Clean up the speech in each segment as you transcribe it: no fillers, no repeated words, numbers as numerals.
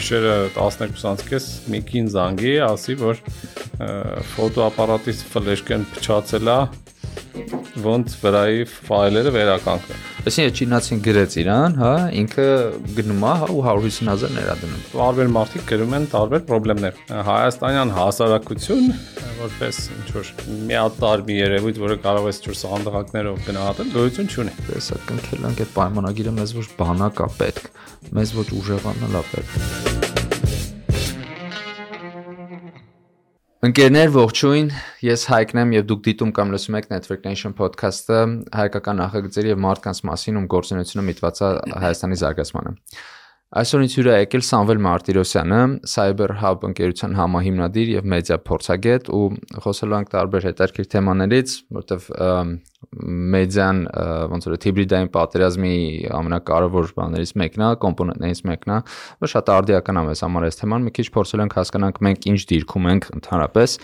գիշերը 12:30 մի կին զանգի, ասի, որ ֆոտոապարատից ֆլեշկեն փչացել է, ոնց վրայի ֆայլերը վերականգնեն։ Այսինքն չինացին գրեց իրան, հա, ինքը գնում է, հա, ու 150,000 ներդնում։ Տարբեր մարդիկ գրում են տարբեր խնդիրներ։ Հայաստանյան հասարակություն, որպես ինչ որ միատարբի երևույթ, որը կարող է ինչ-որ սանդղակներով գնահատել, գոյություն չունի։ Տեսա կնքել ենք այդ պայմանագիրը, մեզ ոչ բանակ է պետք, մեզ ոչ ուժեղանալ է պետք։ Ընկերներ, ողջույն, ես Հայկն եմ եւ դուք դիտում կամ լսում եք Network Nation podcast-ը, հայկական նախագծերի եւ մարդկանց մասին, ում գործունեությունը միտված է Հայաստանի զարգացմանը։ Այսօր ինձ հյուր է եկել Սամվել Մարտիրոսյանը, Cyber Hub ընկերության համահիմնադիր եւ մեդիա փորձագետ, ու խոսելու ենք տարբեր հետաքրքիր թեմաներից, որտեվ մեդիան ոնց որ հիբրիդային պատերազմի ամենակարևոր բաներից մեկն է, կոմպոնենտներից մեկն է, որ շատ արդիական է մեզ համար այս թեման, մի քիչ փորձել ենք հասկանանք մենք ինչ դիրքում ենք ընդհանրապես,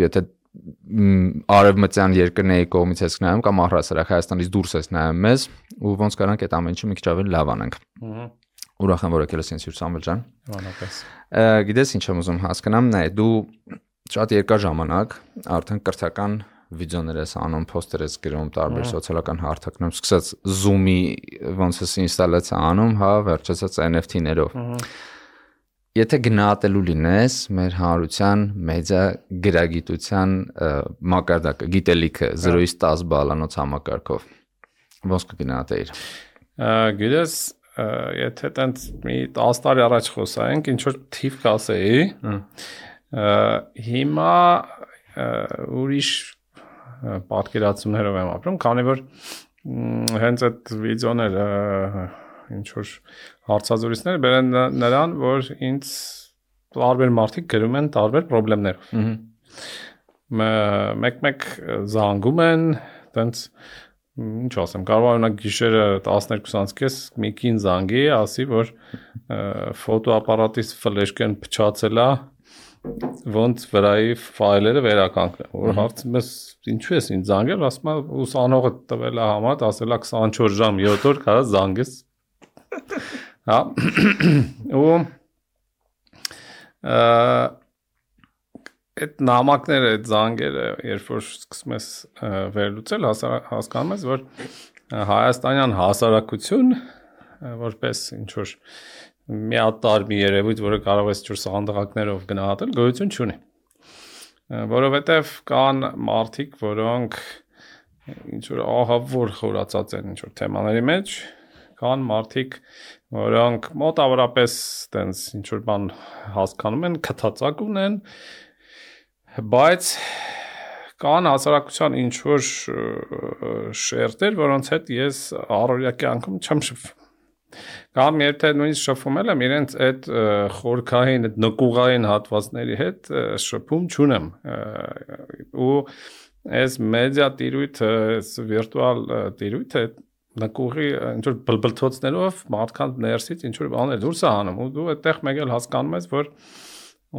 եթե արևմտյան երկրների կողմից ես նայում կամ առհասարակ Հայաստանից դուրս ես նայում մեզ ու ոնց կարանք այդ ամեն ինչը մի քիչ ավելի լավ անենք։ Ուրախ եմ որ եկել ես ինձ հյուր Սամվել ջան։ Բանապես։ Գիտես ինչ եմ ուզում հասկանամ, նայ դու շատ երկար ժամանակ արդեն կրթական վիդեոներ ես անում, poster ես գրում, տարբեր սոցիալական հարթակներում, սկսած Zoom-ի ոնց էս ինստալացիա անում, հա, վերջացած NFT-ներով։ Եթե գնահատելու լինես մեր հանրության մեդիա գրագիտության մակարդակը, գիտելիքը 0-ից 10 բալանոց համակարգով, ոնց կգնահատեիր։ Գիտես, եթե տենց մի 10 տարի առաջ խոսայինք, ինչ որ թիվ կասեի, հիմա ուրիշ պատկերացումներով եմ ապրում, քանի որ հենց այդ վիդեոները ինչ որ հարցազրույցներ բերեն նրան, որ ինձ տարբեր մարդիկ գրում են տարբեր խնդիրներով։ Մեկ-մեկ զանգում են, տենց ինչ ասեմ, կարող օրինակ գիշերը 12:30 մի կին զանգի, ասի, որ ֆոտոապարատից ֆլեշկեն փչացել է, ոնց վրայի ֆայլերը վերականգնեն։ Որ հարցում ես ինչու ես ինձ զանգել, ասում եմ ուսանողը տվել է համարդ, ասել է 24 ժամ 7 օր կարա զանգես։ Հա ու այդ նամակները, այդ զանգերը, երբ որ սկսում ես վերլուծել, հասկանում ես, որ հայաստանյան հասարակություն, որպես ինչ որ միատարբի երևույթ, որը կարող է ինչ-որ սանդղակներով գնահատել, գոյություն չունի։ Որովհետև կան մարդիկ, որոնք ինչ-որ ահավոր խորացած են ինչ-որ թեմաների մեջ, կան մարդիկ, որոնք մոտավորապես տենց ինչ-որ բան հասկանում են, քթածակ ունեն, բայց կան հասարակության ինչ-որ շերտեր, որոնց հետ ես առօրյա կյանքում չեմ շփվում։ Կամ երբ թե նույնիսկ շփվում եմ, իրենց այդ խորքային, այդ նկուղային հատվածների հետ շփում չունեմ։ Ու այս մեդիա տիրույթը, այս վիրտուալ տիրույթը նկուղի ինչ-որ բլբլթոցներով մարդկանց ներսից ինչ-որ բաներ դուրս է հանում ու դու այդտեղ մեկ էլ հասկանում ես, որ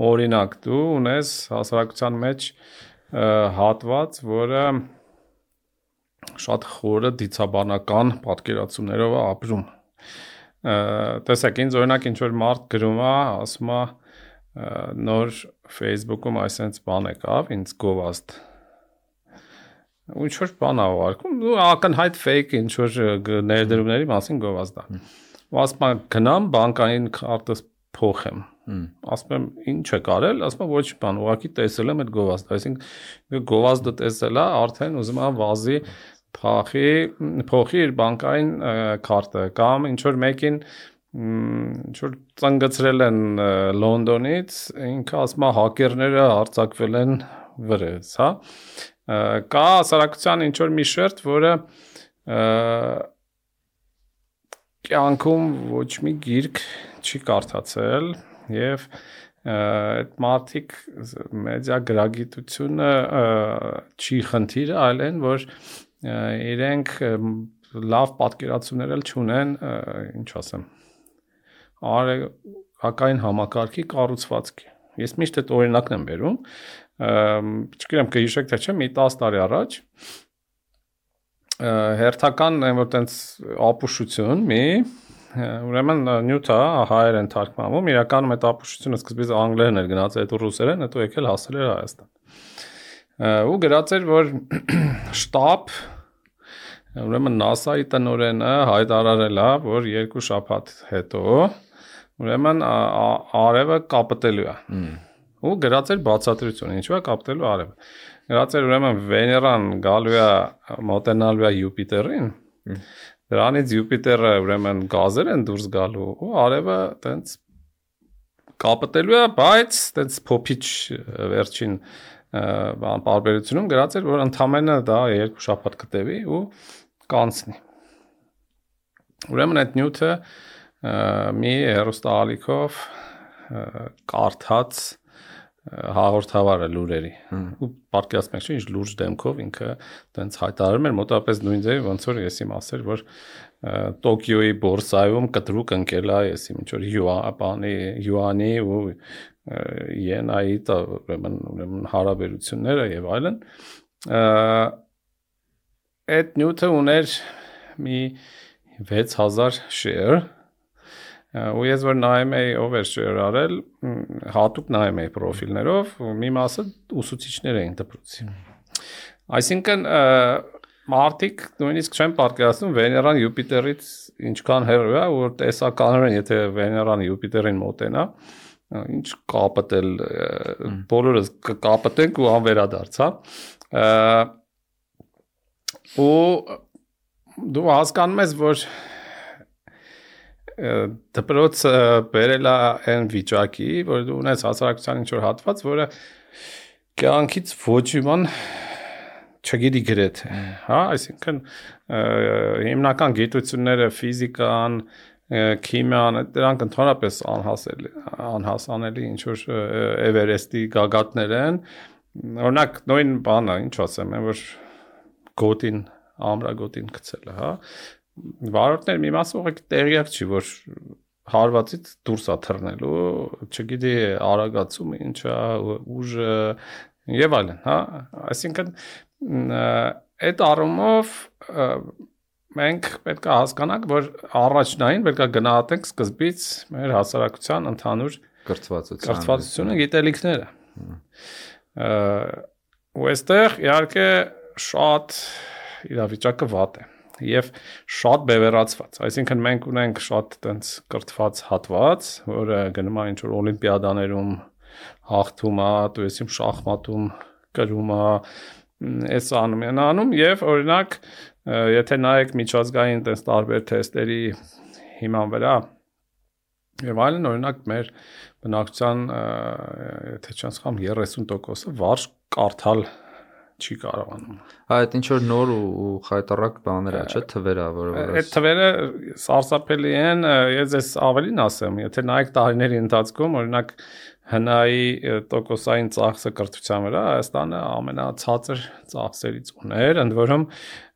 օրինակ դու ունես հասարակության մեջ հատված, որը շատ խորը դիցաբանական պատկերացումներով է ապրում։ Տեսեք, ինձ օրինակ ինչ-որ մարդ գրում է, ասում է նոր Facebook-ում այսպես բան եկավ, ինձ գովազդ։ Ու ինչ-որ բան է ուղարկում, ու ակնհայտ fake ինչ-որ ներդրումների մասին գովազդ է։ Ու ասում է գնամ բանկային քարտս փոխեմ։ Ասում եմ ինչ եք արել, ասում եմ ոչ բան, ուղղակի տեսել եմ այդ գովազդը, այսինքն գովազդը տեսել է, արդեն ուզում է վազի փոխի իր բանկային քարտը կամ ինչ որ մեկին ինչ որ ծնգծրել են Լոնդոնից, ինքը ասում է հակերները հարձակվել են վրեզ, հա։ Կա հասարակության ինչ որ մի շերտ, որը կյանքում ոչ մի գիրք չի կարդացել եւ այդ մարդիկ մեդիա գրագիտությունը չի խնդիրը, այլ այն որ իրենք լավ պատկերացումներ էլ չունեն, ինչ ասեմ, արեգակային համակարգի կառուցվածքի։ Ես միշտ այդ օրինակն եմ բերում, չգիտեմ կհիշեք թե չէ, մի 10 տարի առաջ հերթական այն որ տենց ապուշություն մի ուրեմն նյութը հայեր են թարգմանվում, իրականում այդ ապուշությունը սկզբից անգլերեն էր գնաց, հետո ռուսերեն, հետո եկել հասել էր Հայաստան։ Ու գրած էր, որ շտաբ, ուրեմն NASA-ի տնօրենը հայտարարել է, որ 2 շաբաթ հետո ուրեմն արևը կապտելու է։ Ու գրած էր բացատրություն, ինչու է կապտելու արևը։ Գրած էր ուրեմն Վեներան գալու է մոտենալու է Յուպիտերին։ Դրանից Յուպիտերը ուրեմն գազեր են դուրս գալու ու արևը տենց կապտելու է, բայց տենց փոփիչ վերջին բան բարբերությունում գրած էր, որ ընդամենը դա 2 շաբաթ կտևի ու կանցնի։ Ուրեմն այդ նյութը մի հեռուստաալիքով կարդաց հաղորդավարը լուրերի ու պատկերացնեք ինչ լուրջ դեմքով ինքը տենց հայտարարում էր մոտավորապես նույն ձևի ոնց որ ես իմ ասել որ Տոկիոյի բորսայում կտրուկ ընկել է ես իմ ինչ որ յուանի ու յենայի ուրեմն հարաբերությունները եւ այլն այդ նյութը ուներ մի 6000 share ու ես որ նայում էի ով էր share արել հատուկ նայում էի պրոֆիլներով մի մասը ուսուցիչներ էին դպրոցի այսինքն մարդիկ նույնիսկ չեն պատկերացնում Վեներան Յուպիտերից ինչքան հեռու է որ տեսականորեն եթե Վեներան Յուպիտերին մոտենա ինչ կապտել բոլորս կկապտենք ու անվերադարձ հա ու դու հասկանում ես որ դպրոցը բերել է այն վիճակի, որ դու ունես հասարակության ինչ-որ հատված, որը կյանքից ոչ իման չգիտի գրեթե, հա, այսինքն հիմնական գիտությունները, ֆիզիկան, քիմիան, դրանք ընդհանրապես անհասանելի ինչ-որ Էվերեստի գագաթներ են, օրինակ նույն բանը, ինչ ասեմ, որ գոտին, ամրագոտին գցել է, հա, վարորդներ մի մասը ուղղակի տեղյակ չի, որ հարվածից դուրս է թռնելու, չգիտի արագացումը ինչ է, ուժը եւ այլն, հա, այսինքն այդ առումով մենք պետք է հասկանանք, որ առաջնային պետք է գնահատենք սկզբից մեր հասարակության ընդհանուր կրթվածությունը, գիտելիքները։ Ու այստեղ իհարկե շատ իրավիճակը վատ է։ Եվ շատ բևեռացված, այսինքն մենք ունենք շատ տենց կրթված հատված, որը գնում է ինչ-որ օլիմպիադաներում հաղթում է, դու ես իմ շախմատում կրում է, այս անում են անում եւ օրինակ եթե նայեք միջազգային տես տարբեր թեստերի հիման վրա եւ այլն օրինակ մեր բնակչության եթե չեմ սխալվում 30%-ը վարժ կարդալ չի կարողանում։ Այդ ինչ որ նոր ու խայտարակ բաներ է, չէ՞, թվերը, որը այդ թվերը սարսափելի են, ես ես ավելին ասեմ, եթե նայեք տարիների ընթացքում, օրինակ հնայի տոկոսային ծախսը կրթության վրա Հայաստանը ամենացածր ծախսերից ուներ, ընդ որում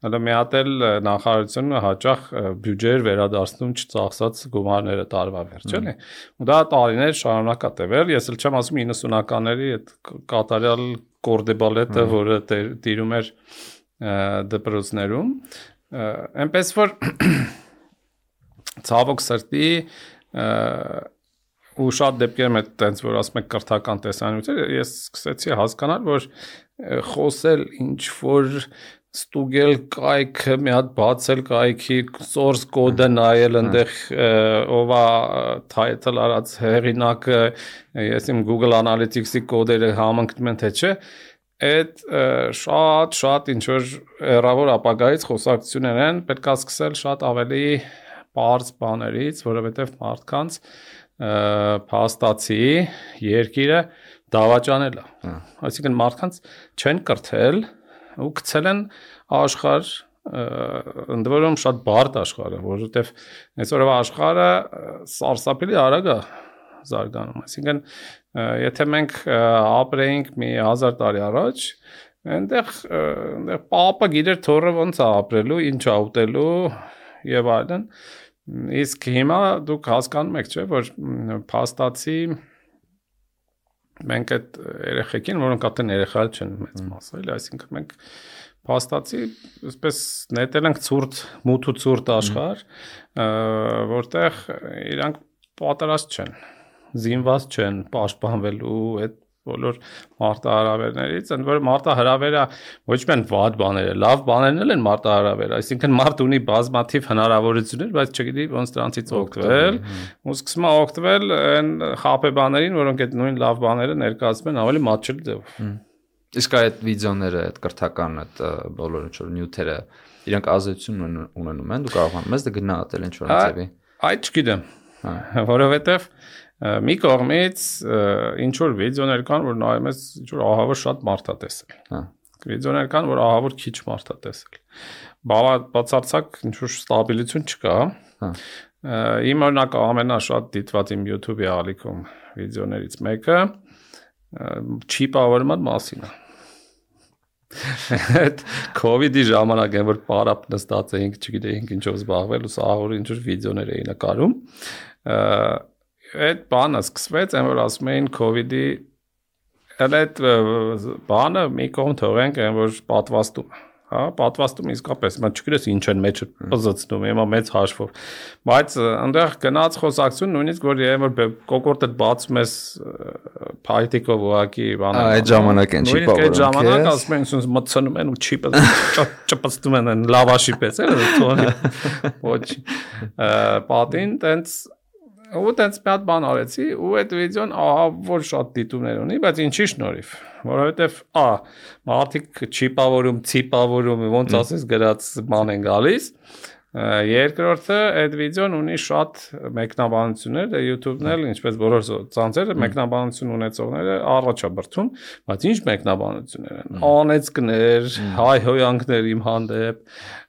հələ մի հատ էլ նախարարությունը հաճախ բյուջեեր վերադարձնում չծախսած գումարները տարվա վերջ, էլի։ Ու դա տարիներ շարունակ է տևել, ես էլ չեմ ասում 90-ականների այդ կատարյալ կորդեբալետը, որը տիրում էր դպրոցներում, այնպես որ ցավոք սրտի ու շատ դեպքերում է տենց որ ասում եք կրթական տեսանյութեր ես սկսեցի հասկանալ որ խոսել ինչ որ ստուգել կայքը մի հատ բացել կայքի source code-ը նայել այնտեղ ով է title արած հեղինակը ես իմ Google Analytics-ի կոդերը համընկնում են թե չէ այդ շատ ինչ որ հեռավոր ապագայից խոսակցություններ են պետք է սկսել շատ ավելի բարձ բաներից որովհետև մարդկանց փաստացի երկիրը դավաճանել է այսինքն մարդկանց չեն կրթել ու գցել են աշխարհ ընդ որում շատ բարդ աշխարհը որովհետև այսօրվա աշխարհը սարսափելի արագ է զարգանում այսինքն եթե մենք ապրեինք մի 1000 տարի առաջ այնտեղ պապը գիտեր թորը ոնց է ապրելու ինչ է ուտելու եւ այլն իսկ հիմա դուք հասկանում եք չէ որ փաստացի մենք այդ երեխեքին որոնք արդեն երեխա չեն մեծ մասը էլի այսինքն մենք փաստացի այսպես նետել ենք ցուրտ մութ ու ցուրտ աշխարհ, որտեղ իրանք պատրաստ չեն, զինված չեն պաշտպանվելու այդ բոլոր մարտահրավերներից, ընդ որում մարտահրավերը ոչ միայն վատ բաներ, լավ բաներն են մարտահրավերը, այսինքն մարդ ունի բազմաթիվ հնարավորություններ, բայց չգիտի ոնց դրանցից օգտվել, ու սկսում է օգտվել այն խաբեբաներին, որոնք այդ նույն լավ բաները ներկայացնում են ավելի մատչելի ձևով։ Իսկ այդ վիդեոները, այդ կրթական, այդ բոլոր ինչ որ նյութերը, իրանք ազդեցություն ունենում են, դու կարողանում ես դա գնահատել ինչ որ ձևի։ Այդ չգիտեմ, որովհետև մի կողմից ինչ որ վիդեոներ կան, որ նայում ես ինչ որ ահավոր շատ մարդ է տեսել։ Վիդեոներ կան, որ ահավոր քիչ մարդ է տեսել։ Բացարձակ ինչ որ ստաբիլություն չկա։ Իմ օրինակ ամենաշատ դիտված իմ YouTube-ի ալիքում վիդեոներից մեկը չիպավորման մասին է։ Այդ COVID-ի ժամանակ են որ պարապ նստած էինք, չգիտեինք ինչով զբաղվել, ու ահավոր ինչ որ վիդեոներ էին նկարում։ Այդ բանը սկսվեց, այն որ ասում էին COVID-ի այդ բանը մի կողմ թողենք, այն որ պատվաստում, հա, պատվաստում իսկապես, մա չգիտես ինչ են մեջը պզծնում, հիմա մեծ հաշվով, բայց այնտեղ գնաց խոսակցություն նույնիսկ որ այն որ կոկորտը բացում ես փայտիկով ուղակի բանը, այդ ժամանակ են չի այդ ժամանակ ասում են ինձ մտցնում են ու չիպը ճպստում են լավաշի պես, ոչ պատին տենց ու տենց մի հատ բան արեցի ու այդ վիդեոն ահավոր շատ դիտումներ ունի, բայց ինչի շնորհիվ, որովհետև մարդիկ չիպավորում, ցիպավորում, ոնց ասես գրած բան են գալիս, երկրորդը այդ վիդեոն ունի շատ մեկնաբանություններ, YouTube-ն էլ ինչպես բոլոր ցանցերը մեկնաբանություն ունեցողները առաջաբրցում, բայց ինչ մեկնաբանություններ են, անեծքներ, հայհոյանքներ իմ հանդեպ,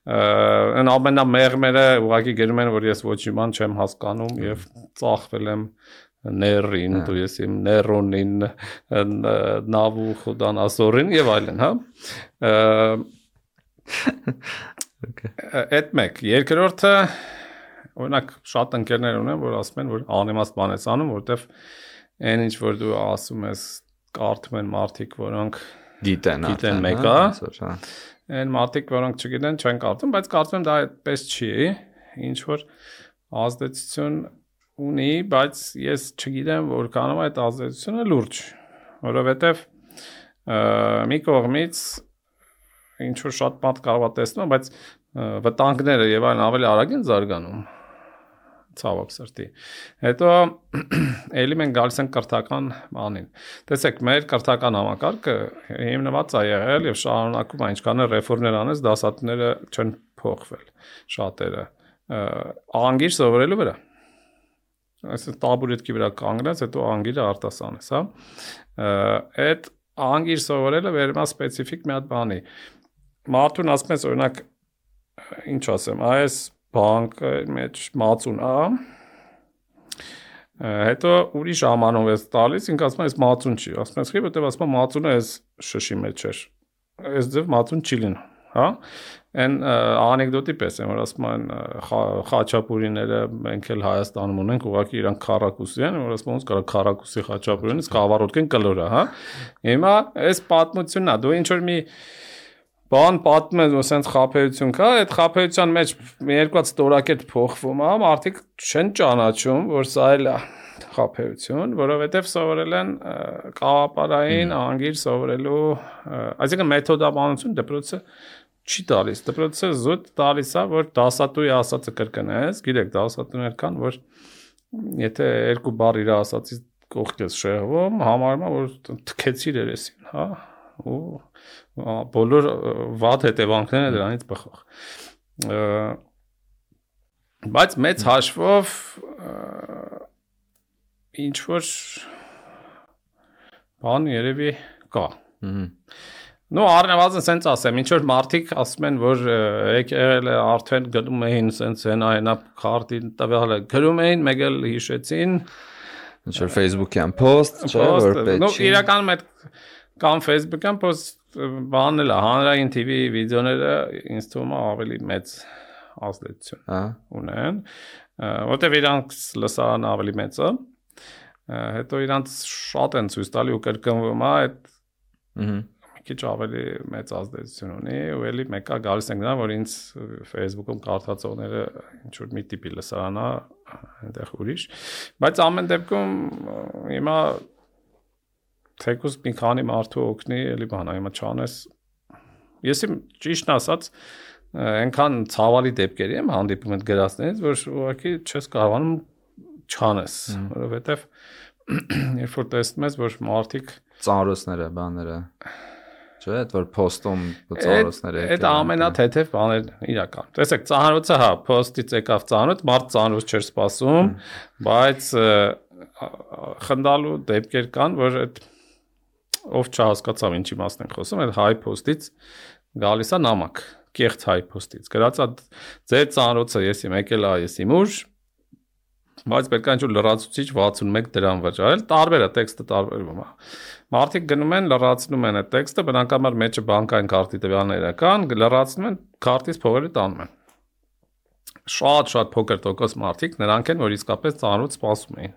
այն ամենամեղմերը ուղղակի գրում են, որ ես ոչ իման չեմ հասկանում եւ ծախվել եմ ներին, դու ես իմ ներոնին, նավուխոդան ասորին եւ այլն, հա։ Այդ մեկ, երկրորդը օրինակ շատ ընկերներ ունեն, որ ասում են, որ անիմաստ բան ես անում, որտեվ այն ինչ որ դու ասում ես, կարդում են մարդիկ, որոնք գիտեն մեկը, այն մարդիկ, որոնք չգիտեն, չեն կարդում, բայց կարծում եմ դա այդպես չի, ինչ որ ազդեցություն ունի, բայց ես չգիտեմ, որքանով այդ ազդեցությունը լուրջ, որովհետև մի կողմից ինչ որ շատ մարդ կարող է տեսնում, բայց վտանգները եւ այլն ավելի արագ են զարգանում, ցավոք սրտի։ Հետո էլի մենք գալիս ենք կրթական բանին։ Տեսեք, մեր կրթական համակարգը հիմնված է եղել եւ շարունակում է, ինչքան էլ ռեֆորմներ անես, դասատուները չեն փոխվել, շատերը անգիր սովորելու վրա։ Այս տաբուրետքի վրա կանգնած, հետո անգիրը արտասանես, հա։ Այդ անգիր սովորելը վերում է սպეციფიկ մի հատ բանի։ Մարդուն ասում ես օրինակ ինչ ասեմ, այս բանկը մեջ մածուն է, հետո ուրիշ ամանով ես տալիս, ինք ասում ես մածուն չի, ասում ես խի, որտեվ ասում մածունը այս շշի մեջ էր, այս ձև մածուն չի լինում, հա, այն անեկդոտի պես են, որ ասում են խաչապուրիները մենք էլ Հայաստանում ունենք, ուղղակի իրանք քառակուսի են, որ ասում ոնց կարա քառակուսի խաչապուրինը սկավառոդկեն կլոր է, հա, հիմա այս պատմությունն է, դու ինչ որ մի բան պատմում ես, որ սենց խաբեություն կա, այդ խաբեության մեջ մի երկու հատ ստորակետ փոխվում է, մարդիկ չեն ճանաչում, որ սա էլ է խաբեություն, որովհետև սովորել են կաղապարային անգիր սովորելու, այսինքն մեթոդաբանություն դպրոցը չի տալիս, դպրոցը զուտ տալիս է, որ դասատուի ասածը կրկնես, գիտեք, դասատուներ կան, որ եթե երկու բառ իր ասածից կողք ես շեղվում, համարում է, որ թքեցիր երեսին, հա, ու բոլոր վատ հետևանքները դրանից բխող։ Բայց մեծ հաշվով ինչ որ բան երևի կա։ Ну առնվազն սենց ասեմ, ինչ որ մարդիկ ասում են, որ եկել է արդեն գնում էին սենց հենա քարտին տվյալը գրում էին, մեկ էլ հիշեցին ինչ որ Facebook-յան post, չէ, որ պետք չի։ Ну իրականում այդ կամ Facebook-յան post բանն էլ է, հանրային TV վիդեոները ինձ թվում է ավելի մեծ ազդեցություն ունեն, որտեղ իրանք լսարանը ավելի մեծ է, հետո իրանք շատ են ցույց տալի ու կրկնվում է այդ քիչ ավելի մեծ ազդեցություն ունի, ու էլի մեկը գալիս ենք նա, որ ինձ Facebook-ում կարդացողները ինչ որ մի տիպի լսարանա, այնտեղ ուրիշ, բայց ամեն դեպքում հիմա թեկուզ մի քանի մարդու օգնի, էլի բանա, հիմա չանես, ես իմ ճիշտն ասած այնքան ցավալի դեպքերի եմ հանդիպում այդ գրածներից, որ ուղղակի չես կարողանում չանես, որովհետև երբ որ տեսնում ես, որ մարդիկ ծանրոցները, բաները, չէ՞, այդ որ post-ում ծանրոցները այդ ամենաթեթև բաներն իրական։ Տեսեք, ծանրոցը հա, post-ից եկավ ծանրոց, մարդ ծանրոց չէր սպասում, բայց խնդալու դեպքեր կան, որ այդ ով չհասկացավ ինչի մասն են խոսում, այդ high post-ից գալիս է նամակ, կեղծ high post-ից։ Գրած է ձեր ծանրոցը եսի եկել է, եսի մուր, բայց պետք է ինչ-որ լրացուցիչ 61 դրամ վճարել, տարբեր է, տեքստը տարբերվում է։ Մարդիկ գնում են, լրացնում են այդ տեքստը, բնականաբար մեջը բանկային քարտի տվյալները կան, լրացնում են, քարտից փողերը տանում են։ Շատ փոքր տոկոս մարդիկ նրանք են, որ իսկապես ծանոթ սպասում էին։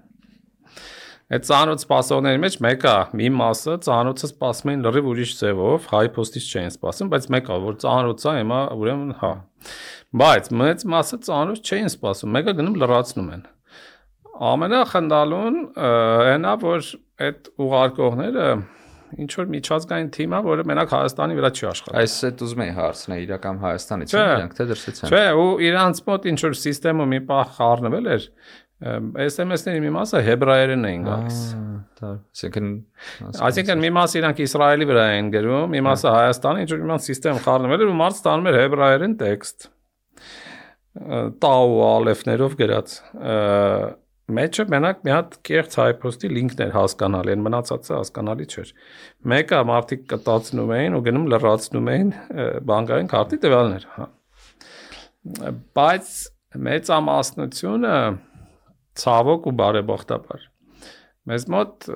Այդ ծանոթ սպասողների մեջ մեկը մի մասը ծանոթը սպասում էին լրիվ ուրիշ ձևով, high post-ից չէին սպասում, բայց մեկը որ ծանոթ է, հիմա ուրեմն հա։ Բայց մեծ մասը ծանոթ չէին սպասում, մեկը գնում լրացնում են։ Ամենախնդալուն այնա, որ այդ ուղարկողները ինչ որ միջազգային թիմ է, որը մենակ Հայաստանի վրա չի աշխատում։ Այս էդ ուզում եի հարցնել, իրական Հայաստանից են իրանք թե դրսից են։ Չէ, ու իրանց մոտ ինչ որ համակարգում մի պահ խառնվել էր, SMS-ների մի մասը հեբրայերեն էին գալիս։ Այսինքն մի մասը իրանք Իսրայելի վրա էին գրում, մի մասը Հայաստանի, ինչ որ մի համակարգ խառնվել էր ու մարդ ստանում էր հեբրայերեն տեքստ։ Տաու ալեֆներով գրած։ Մեջը մենակ մի հատ կեղծ high post-ի լինքներ հասկանալի են, մնացածը հասկանալի չէր։ Մեկը մարդիկ կտացնում էին ու գնում լրացնում էին բանկային քարտի տվյալներ, հա։ Բայց մեծամասնությունը ցավոք ու բարեբախտաբար մեզ մոտ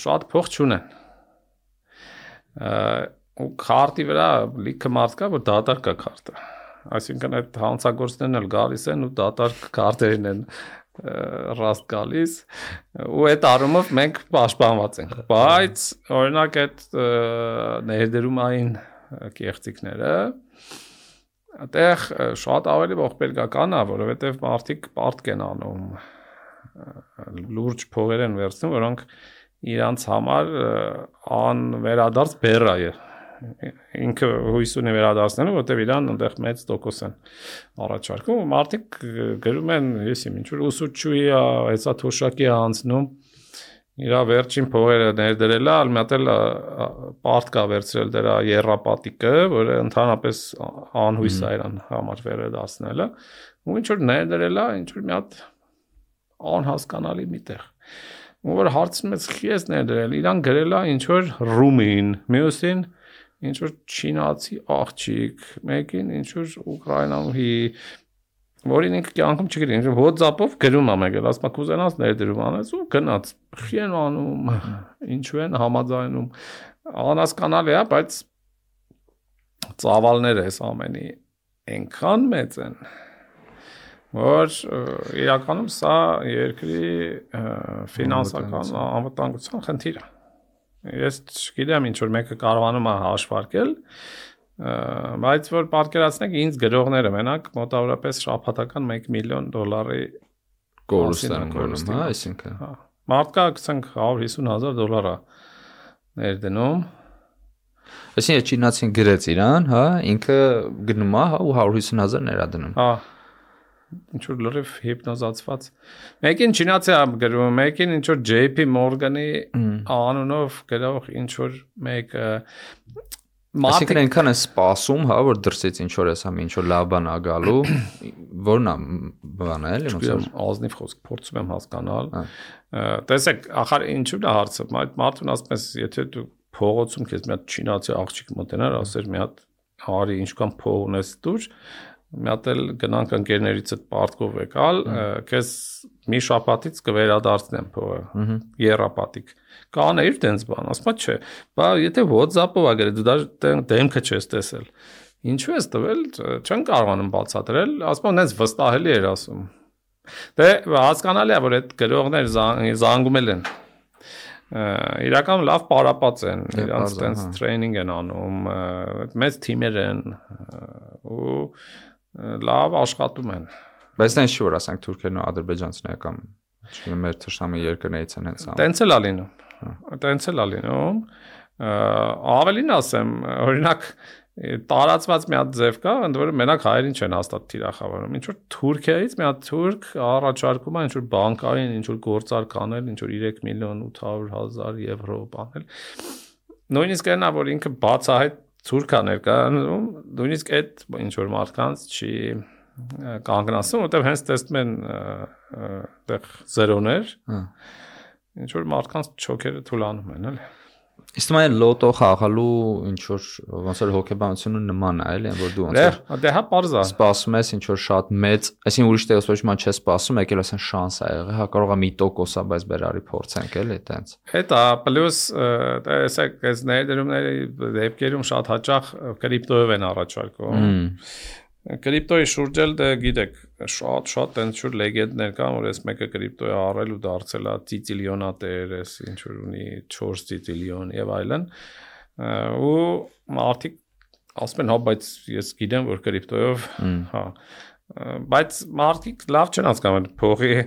շատ փող չունեն։ Ու քարտի վրա լիքը մարդ կա, որ դատարկ է քարտը։ Այսինքն այդ հանցագործներն էլ գալիս են ու դատարկ քարտերին են ռաստ գալիս ու այդ առումով մենք պաշտպանված ենք, բայց օրինակ այդ ներդրումային կեղծիքները այդտեղ շատ ավելի ողբերգական է, որովհետև մարդիկ պարտք են անում, լուրջ փողեր են վերցնում, որոնք իրանց համար անվերադարձ բեռ է ինքը հույս ունի վերադարձնելու, որտեղ իրան այնտեղ մեծ տոկոս են առաջարկում, մարդիկ գրում են, եսիմ ինչ որ ուսուցչուհի է, հեսա թոշակի է անցնում, իր վերջին փողերը ներդրել է, ալմատել պարտ կա վերցրել դրա երրապատիկը, որը ընդհանրապես անհույս է իրան համար վերադարձնելը, ու ինչ որ ներդրել է, ինչ որ մի հատ անհասկանալի միտեղ։ Ու որ հարցնում ես խի ես ներդրել, իրան գրել է ինչ որ ռումին, մյուսին ինչ որ չինացի աղջիկ, մեկին ինչ որ ուկրաինահի, որին ինքը կյանքում չգիտի, ինչ որ WhatsApp-ով գրում է մեկը, ասում է կուզենաս ներդրում անես ու գնաց, խի են անում, ինչու են համաձայնում, անհասկանալի է, բայց ծավալները այս ամենի այնքան մեծ են, որ իրականում սա երկրի ֆինանսական անվտանգության խնդիր է։ Ես չգիտեմ ինչ որ մեկը կարողանում է հաշվարկել, բայց որ պատկերացնեք ինձ գրողները մենակ մոտավորապես շաբաթական $1 միլիոն կորուստ են գնում, հա, այսինքն։ Մարդկա ասենք $150,000 է ներդնում։ Այսինքն չինացին գրեց իրան, հա, ինքը գնում է, հա, ու 150,000 ներդնում։ Հա։ Ինչ որ լրիվ հիպնոզացված։ Մեկին չինացի է գրում, մեկին ինչ որ JP Morgan-ի անունով գրող ինչ որ մեկ Այսինքն այնքան է սպասում, հա, որ դրսից ինչ որ էսա, ինչ որ լավ բան ա գալու, որն է բանը էլի ոնց որ ազնիվ խոսք փորձում եմ հասկանալ։ Տեսեք, ախր ինչու՞ է հարցը, մարդուն ասում ես, եթե դու փողոցում քեզ մի հատ չինացի աղջիկ մոտենար, ասեր մի հատ հարի ինչքան փող ունես դուր, մի հատ էլ գնանք ընկերներիցդ պարտքով եկալ, քեզ մի շաբաթից կվերադարձնեմ փողը, երրապատիկ։ Կանեիր տենց բան, ասում չէ, բա եթե WhatsApp-ով ա գրել, դու դա դեմքը չես տեսել։ Ինչու ես տվել, չեն կարողանում բացատրել, ասում նենց վստահելի էր ասում։ Դե հասկանալի է, որ այդ գրողներ զանգում են։ իրական լավ պարապած են, իրանց տենց տրեյնինգ են անում, մեծ թիմեր են ու լավ աշխատում են։ Բայց դա ինչ որ ասենք թուրքերն ու ադրբեջանցիները կամ չգիտեմ մեր թշնամի երկրներից են հենց անում։ Տենց էլ ա լինում։ Ավելին ասեմ, օրինակ տարածված մի հատ ձև կա, ընդ որում մենակ հայերին չեն հաստատ թիրախավորում։ Ինչ որ Թուրքիայից մի հատ թուրք առաջարկում է ինչ որ բանկային, ինչ որ գործար կանել, ինչ որ 3.800.000 եվրո բանել։ Նույնիսկ այնա, որ ինքը բացահայտ թուրք է ներկայանում, նույնիսկ այդ ինչ որ մարդկանց չի կանգնացնում, որտեղ հենց տեսնում են այդտեղ զերոներ։ Ինչ որ մարդկանց չոքերը թուլանում են, էլի։ Իսկ մայ լոտո խաղալու ինչ որ ոնց որ հոկեբանությունը նման է, էլի, որ դու ոնց որ դե հա պարզա սպասում ես ինչ որ շատ մեծ, այսինքն ուրիշ տեղից ոչ մի բան չես սպասում, եկել ասեն շանս ա եղել, հա կարող է 1%-ա, բայց բերարի փորձենք, էլի, այտենց։ Հետա պլյուս տեսեք, այս ներդրումների դեպքերում շատ հաճախ կրիպտոյով են առաջարկում։ Կրիպտոյի շուրջ էլ դե գիտեք, շատ այնց որ լեգենդներ կան, որ այս մեկը կրիպտոյ առել ու դարձել է ծիծիլիոնատեր, այս ինչ որ ունի 4 ծիծիլիոն եւ այլն։ Ու մարդիկ ասում են, հա, բայց ես գիտեմ, որ կրիպտոյով, հա, բայց մարդիկ լավ չեն հասկանում փողի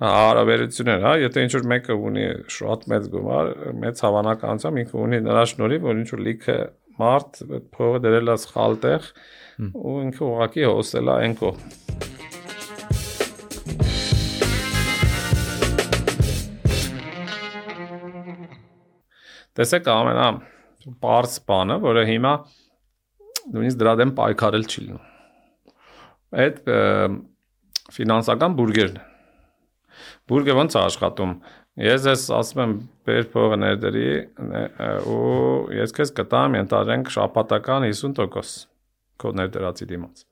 հարաբերությունները, հա, եթե ինչ որ մեկը ունի շատ մեծ գումար, մեծ հավանականությամբ ինքը ունի նրա շնորհիվ, որ ինչ որ լիքը մարդ փողը դրել է սխալ տեղ ու ինքը ուղղակի հոսել է այն կողմ։ Տեսեք ամենա պարզ բանը, որը հիմա նույնիսկ դրա դեմ պայքարել չի լինում։ Այդ ֆինանսական բուրգերն են։ Բուրգը ոնց է աշխատում։ Ես ասում եմ բեր փողը ներդրի ու ես քեզ կտամ ենթադրենք շաբաթական 50% քո ներդրածի դիմաց։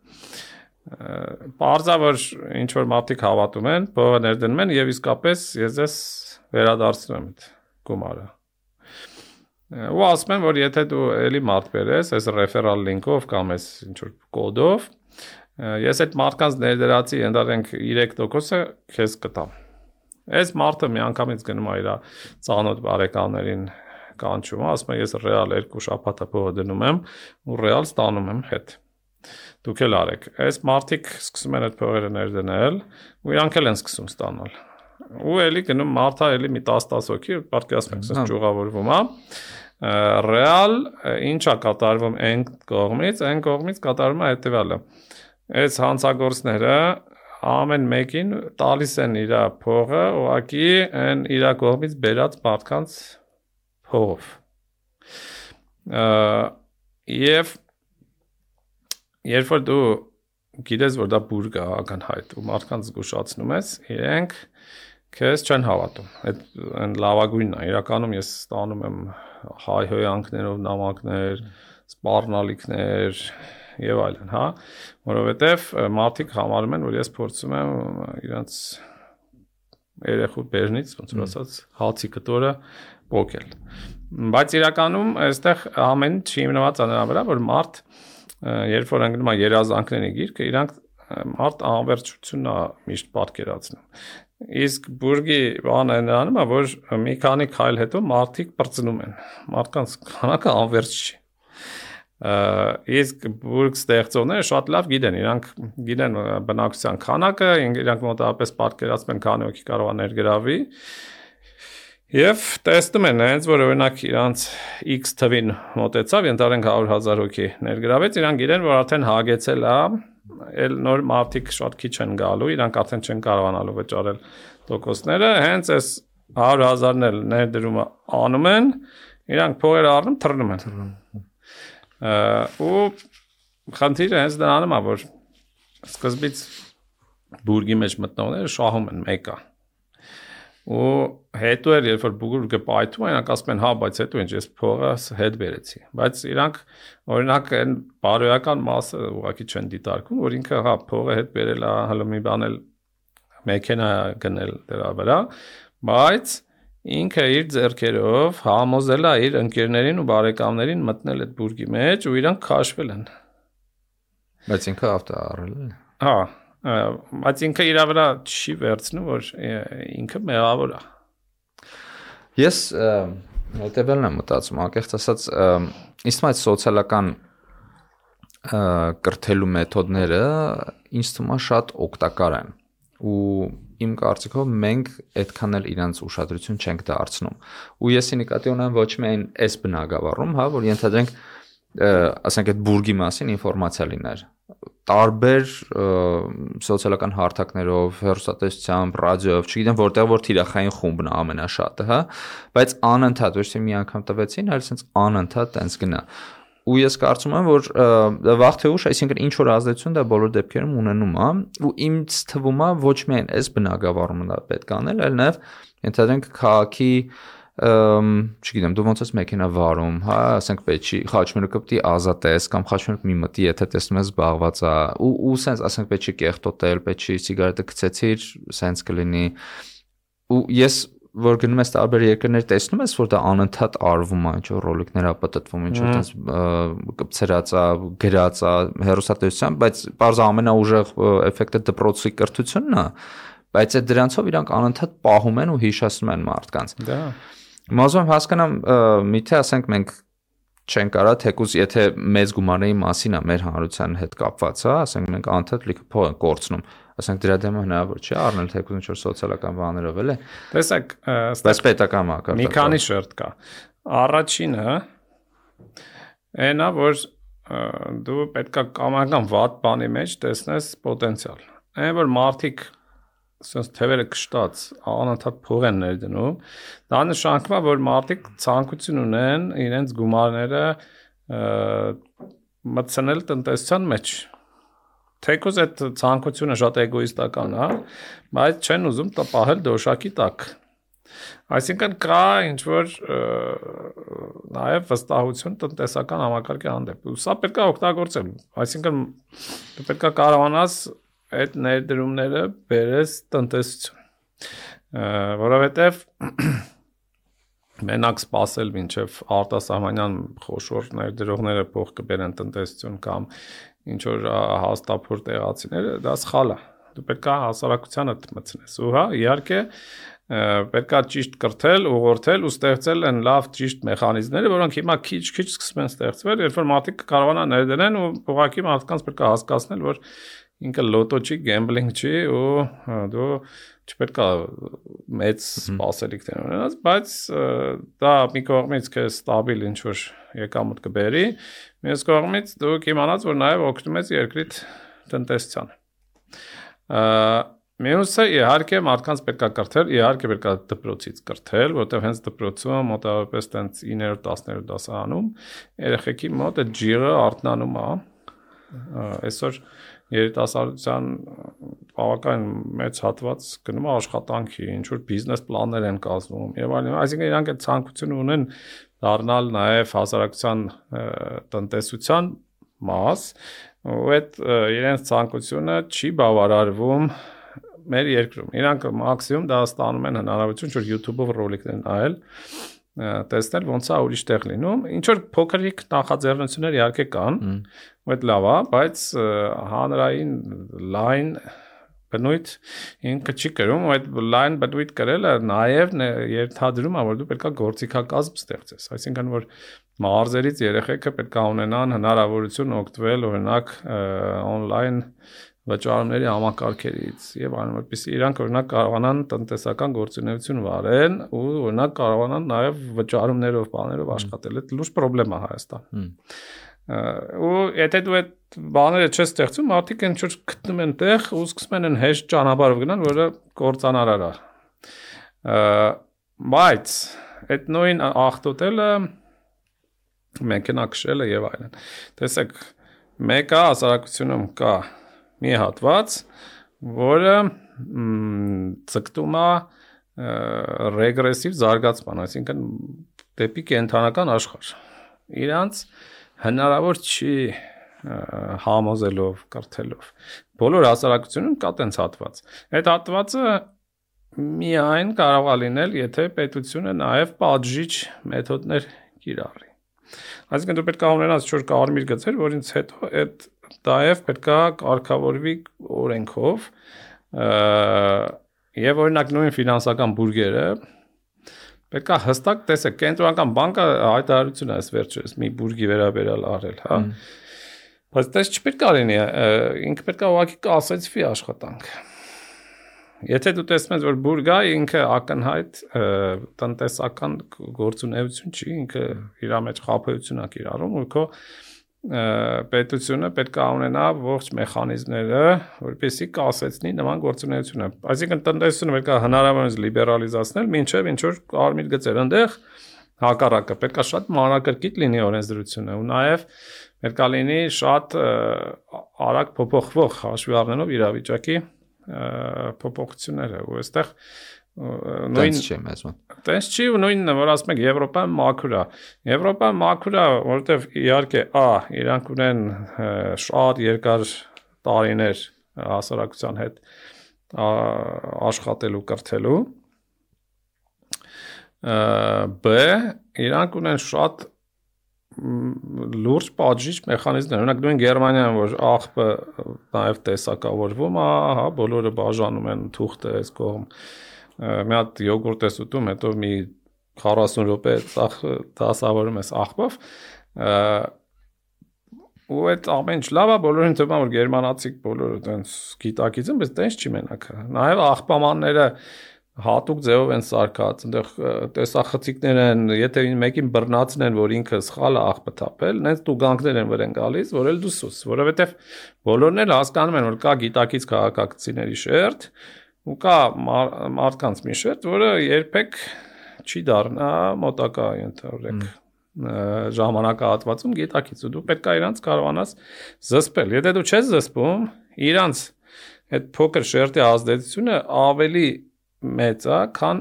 Պարզա որ ինչ որ մարդիկ հավատում են, փողը ներդնում են եւ իսկապես ես ես վերադարձնում եմ այդ գումարը։ Ու ասում եմ որ եթե դու էլի մարդ բերես, այս ռեֆերալ լինքով կամ այս ինչ որ կոդով, ես այդ մարդկանց ներդրածի ընդհանրենք 3%-ը քեզ կտամ։ Այս մարդը մի անգամից գնում է իր ծանոթ բարեկամներին կանչում, ասում է ես ռեալ 2 շաբաթ փողը դնում եմ ու ռեալ ստանում եմ հետ։ Դուք էլ արեք։ Այս մարդիկ սկսում են այդ փողերը ներդնել ու իրանք էլ են սկսում ստանալ։ Ու էլի գնում մարդը էլի մի 10 հոգի, պատկերացնեք, ասես ճյուղավորվում է։ Ռեալ ինչա կատարվում այն կողմից կատարվում է հետևյալը։ Այս հանցագործները ամեն մեկին տալիս են իր փողը, ուղղակի այն իր կողմից բերած մարդկանց փողով։ Եվ երբ որ դու գիտես, որ դա բուրգ է ակնհայտ ու մարդկանց զգուշացնում ես, իրենք քեզ չեն հավատում։ Այդ լավագույնն է։ Իրականում ես ստանում եմ հայհոյանքներով նամակներ, սպառնալիքներ եւ այլն, հա, որովհետեւ մարդիկ համարում են, որ ես փորձում եմ իրենց երեխու բերնից, ոնց որ ասած, հացի կտորը փոկել։ Բայց իրականում այստեղ ամեն ինչ հիմնված է նրա վրա, որ մարդ երբ որ ընկնում է երազանքների գիրկը, իրանք մարդ անվերջությունն է միշտ պատկերացնում։ Իսկ բուրգի բանը նրանում է, որ մի քանի քայլ հետո մարդիկ բրծնում են։ Մարդկանց քանակը անվերջ չի։ Իսկ բուրգ ստեղծողները շատ լավ գիտեն, իրանք գիտեն բնակչության քանակը, իրանք մոտավորապես պատկերացնում են քանի հոգի կարող է ներգրավի եւ տեսնում են հենց որ օրինակ իրանց X թվին մոտեցավ, ենթադրենք 100,000 հոգի ներգրավեց, իրանք գիտեն որ արդեն հագեցել է, էլ նոր մարդիկ շատ քիչ են գալու, իրանք արդեն չեն կարողանալու վճարել տոկոսները, հենց այս 100,000-ն էլ ներդրումը անում են, իրանք փողերը առնում, թռնում են։ Ու խնդիրը հենց դրանում է, որ սկզբից բուրգի մեջ մտնողները շահում են մեկը։ Ու հետո էլ երբ որ բուրգը պայթում է, իրանք ասում են, հա, բայց հետո ինչ ես փողը հետ բերեցի։ Բայց իրանք օրինակ այն բարոյական մասը ուղղակի չեն դիտարկում, որ ինքը հա փողը հետ բերել է, հələ մի բան էլ մեքենա գնել դրա վրա, բայց ինքը իր ձեռքերով համոզել է իր ընկերներին ու բարեկամներին մտնել այդ բուրգի մեջ ու իրանք քաշվել են։ Բայց ինքը ավտո առել է։ Հա, բայց ինքը իր վրա չի վերցնում, որ ինքը մեղավոր է։ Ես հետևելն եմ մտածում, անկեղծ ասած, ինձ թվում է սոցիալական կրթելու մեթոդները ինձ թվում է շատ օգտակար են ու իմ կարծիքով մենք այդքան էլ իրանց ուշադրություն չենք դարձնում ու ես նկատի ունեմ ոչ միայն այս բնագավառում, հա, որ ենթադրենք ասենք այդ բուրգի մասին ինֆորմացիա լիներ տարբեր սոցիալական հարթակներով, հեռուստատեսությամբ, ռադիոյով, չգիտեմ որտեղ որ թիրախային խումբն է ամենաշատը, հա, բայց անընդհատ ոչ թե մի անգամ տվեցին, այլ sense անընդհատ տենց գնա։ Ու ես կարծում եմ, որ վաղ թե ուշ, այսինքն ինչ որ ազդեցություն դա բոլոր դեպքերում ունենում է, ու ինձ թվում է ոչ միայն այս բնագավառումը դա պետք է անել, այլ նաև ենթադրենք քաղաքի չգիտեմ, դու ոնց ես մեքենա վարում, հա, ասենք պետք չի խաչմերուկը պետք է ազատես կամ խաչմերուկ մի մտի, եթե տեսնում ես զբաղված է, ու sense ասենք պետք չի կեղտոտել, պետք չի սիգարետը գցեցիր, sense կլինի։ Ու ես որ գնում ես տարբեր երկրներ տեսնում ես որ դա անընդհատ արվում է, ինչ որ ռոլիկներ է պատտվում, ինչ որ տես կպցրած է, գրած է հեռուստատեսությամբ, բայց բարձ ամենաուժեղ էֆեկտը դպրոցի կրթությունն է, բայց այդ դրանցով իրանք անընդհատ պահում են ու հիշացնում են մարդկանց։ Դա Մազում հասկանամ, միթե ասենք մենք չենք կարա թեկուզ եթե մեծ գումարների մասին է մեր հանրության հետ կապված, հա, ասենք մենք անընդհատ լիքը փող ենք կորցնում, ասենք դրա դեմը հնարավոր չի առնել թեկուզ ինչ որ սոցիալական բաներով էլ է։ Տեսեք, բայց պետական մակարդակով։ Մի քանի շերտ կա։ Առաջինը այնա որ դու պետքա կամական վատ բանի մեջ տեսնես պոտենցիալ։ Այն որ մարդիկ sense թևերը կշտած անընդհատ փող են ներդնում, դա նշանակում է, որ մարդիկ ցանկություն ունեն իրենց գումարները մտցնել տնտեսության մեջ։ Թեկուզ այդ ցանկությունը շատ էգոիստական է, բայց չեն ուզում տպահել դոշակի տակ։ Այսինքն կա ինչ որ նաև վստահություն տնտեսական համակարգի հանդեպ։ Սա պետք է օգտագործել։ Այսինքն դու պետք է կարողանաս այդ ներդրումները բերես տնտեսություն, որովհետև մենակ սпасել մինչև արտասահմանյան խոշոր ներդրողները փող կբերեն տնտեսություն կամ ինչ որ հաստափոր տեղացիները, դա սխալ է։ Դու պետք է հասարակությանը մտցնես։ Ու հա, իհարկե պետք է ճիշտ կրթել, ուղղորդել ու ստեղծել են լավ ճիշտ մեխանիզմները, որոնք հիմա քիչ-քիչ սկսում են ստեղծվել, երբ որ մարդիկ կարողանան ներդրեն ու ուղղակի մարդկանց պետք է հասկացնել, որ ինքը լոտո չի, գեմբլինգ չի ու դու չպետք է մեծ սպասելիքներ ունենաս, բայց դա մի կողմից քեզ ստաբիլ ինչ որ եկամուտ կբերի, մյուս կողմից դու կիմանաս, որ նաև օգնում ես երկրիդ տնտեսությանը։ Մյուսը իհարկե մարդկանց պետք է կրթել, իհարկե պետք է դպրոցից կրթել, որտեղ հենց դպրոցում մոտավորապես տենց 9-րդ 10-րդ դասարանում երեխեքի մոտ այդ ջիղը արթնանում է։ Այսօր երիտասարդության բավական մեծ հատված գնում է աշխատանքի, ինչ որ բիզնես պլաններ են կազմում եւ այլն, այսինքն իրանք այդ ցանկություն ունեն դառնալ նաեւ հասարակության տնտեսության մաս, ու այդ իրենց ցանկությունը չի բավարարվում մեր երկրում։ Իրանք մաքսիմում դա ստանում են հնարավորություն որ YouTube-ով ռոլիկներ նայել, տեսնել ոնց է ուրիշ տեղ լինում, ինչ որ փոքրիկ նախաձեռնություններ իհարկե կան, ու այդ լավ է, բայց հանրային լայն բնույթ ինքը չի կրում, ու այդ լայն բնույթ կրելը նաև ենթադրում է, որ դու պետք է գործիքակազմ ստեղծես, այսինքն որ մարզերից երեխեքը պետք է ունենան հնարավորություն օգտվել օրինակ on-line վճարումների համակարգերից եւ այլն, որպեսզի իրանք օրինակ կարողանան տնտեսական գործունեություն վարեն ու օրինակ կարողանան նաեւ վճարումներով, բաներով աշխատել։ Այդ լուրջ խնդրեմ է Հայաստան։ Ու եթե դու այդ բաները չես ստեղծում, մարդիկ ինչ որ գտնում են տեղ ու սկսում են հեշտ ճանապարհով գնալ, որը կործանարար է։ Բայց այդ նույն աղտոտելը մեքենա քշելը եւ այլն։ Տեսեք, մեկը հասարակությունում կա մի հատված, որը ցկտում է ռեգրեսիվ զարգացման, այսինքն դեպի կենթանական աշխարհ։ Իրանց հնարավոր չի համոզելով, կրթելով։ Բոլոր հասարակությունում կա տենց հատված։ Այդ հատվածը միայն կարող է լինել, եթե պետությունը նաև պատժիչ մեթոդներ կիրառի։ Այսինքն դու պետք է ունենաս ինչ-որ կարմիր գծեր, որից հետո այդ դայև պետք է կարգավորվի օրենքով եւ օրինակ նույն ֆինանսական բուրգերը պետք է հստակ տեսեք, կենտրոնական բանկը հայտարարություն է վերջերս մի բուրգի վերաբերյալ արել, հա։ Բայց դες չպետք է լինի, ինքը պետք է ուղղակի կասեցվի աշխատանք։ Եթե դու տեսնում ես, որ բուրգա ինքը ակնհայտ տնտեսական գործունեություն չի, ինքը իր մեջ խաբեություն է կիրառում, ու քո պետությունը պետք է ունենա ողջ մեխանիզմները, որպեսզի կասեցնի նման գործունեությունը։ Այսինքն տնտեսությունը պետք է հնարավորինս լիբերալիզացնել, մինչև ինչ որ կարմիր գծեր, այնտեղ հակառակը պետք է շատ մանրակրկիտ լինի օրենսդրությունը, ու նաև պետք է լինի շատ արագ փոփոխվող հաշվի առնելով իրավիճակի փոփոխությունները, ու այստեղ նույն չի մեզ մոտ։ Տես չի ու նույնն է, որ ասում եք Եվրոպան մաքուր է։ Եվրոպան մաքուր է, որովհետև իհարկե իրանք ունեն շատ երկար տարիներ հասարակության հետ աշխատելու կրթելու։ B իրանք ունեն շատ լուրջ պատժիչ մեխանիզմներ։ Օրինակ նույն Գերմանիայում, որ աղբը նաև տեսակավորվում է, հա, բոլորը բաժանում են թուղթը այս կողմ։ Մի հատ յոգուրտ ես ուտում, հետո մի 40 րոպե դասավորում ես աղբով, ու այդ ամեն ինչ լավ է, բոլորին թվում է, որ գերմանացիք բոլորը տենց գիտակից են, բայց տենց չի մենակ։ Նաև աղբամանները հատուկ ձևով են սարքած, այնտեղ տեսախցիկներ են, եթե մեկին բռնացնեն, որ ինքը սխալ է աղբը թափել, նենց տուգանքներ են վրան գալիս, որ էլ դու սուս, որովհետև բոլորն էլ հասկանում են, որ կա գիտակից քաղաքացիների շերտ, ու կա մարդկանց մի շերտ, որը երբեք չի դառնա մոտակա ենթադրեք ժամանակահատվածում գիտակից, ու դու պետք է իրանց կարողանաս զսպել։ Եթե դու չես զսպում, իրանց այդ փոքր շերտի ազդեցությունը ավելի մեծ է, քան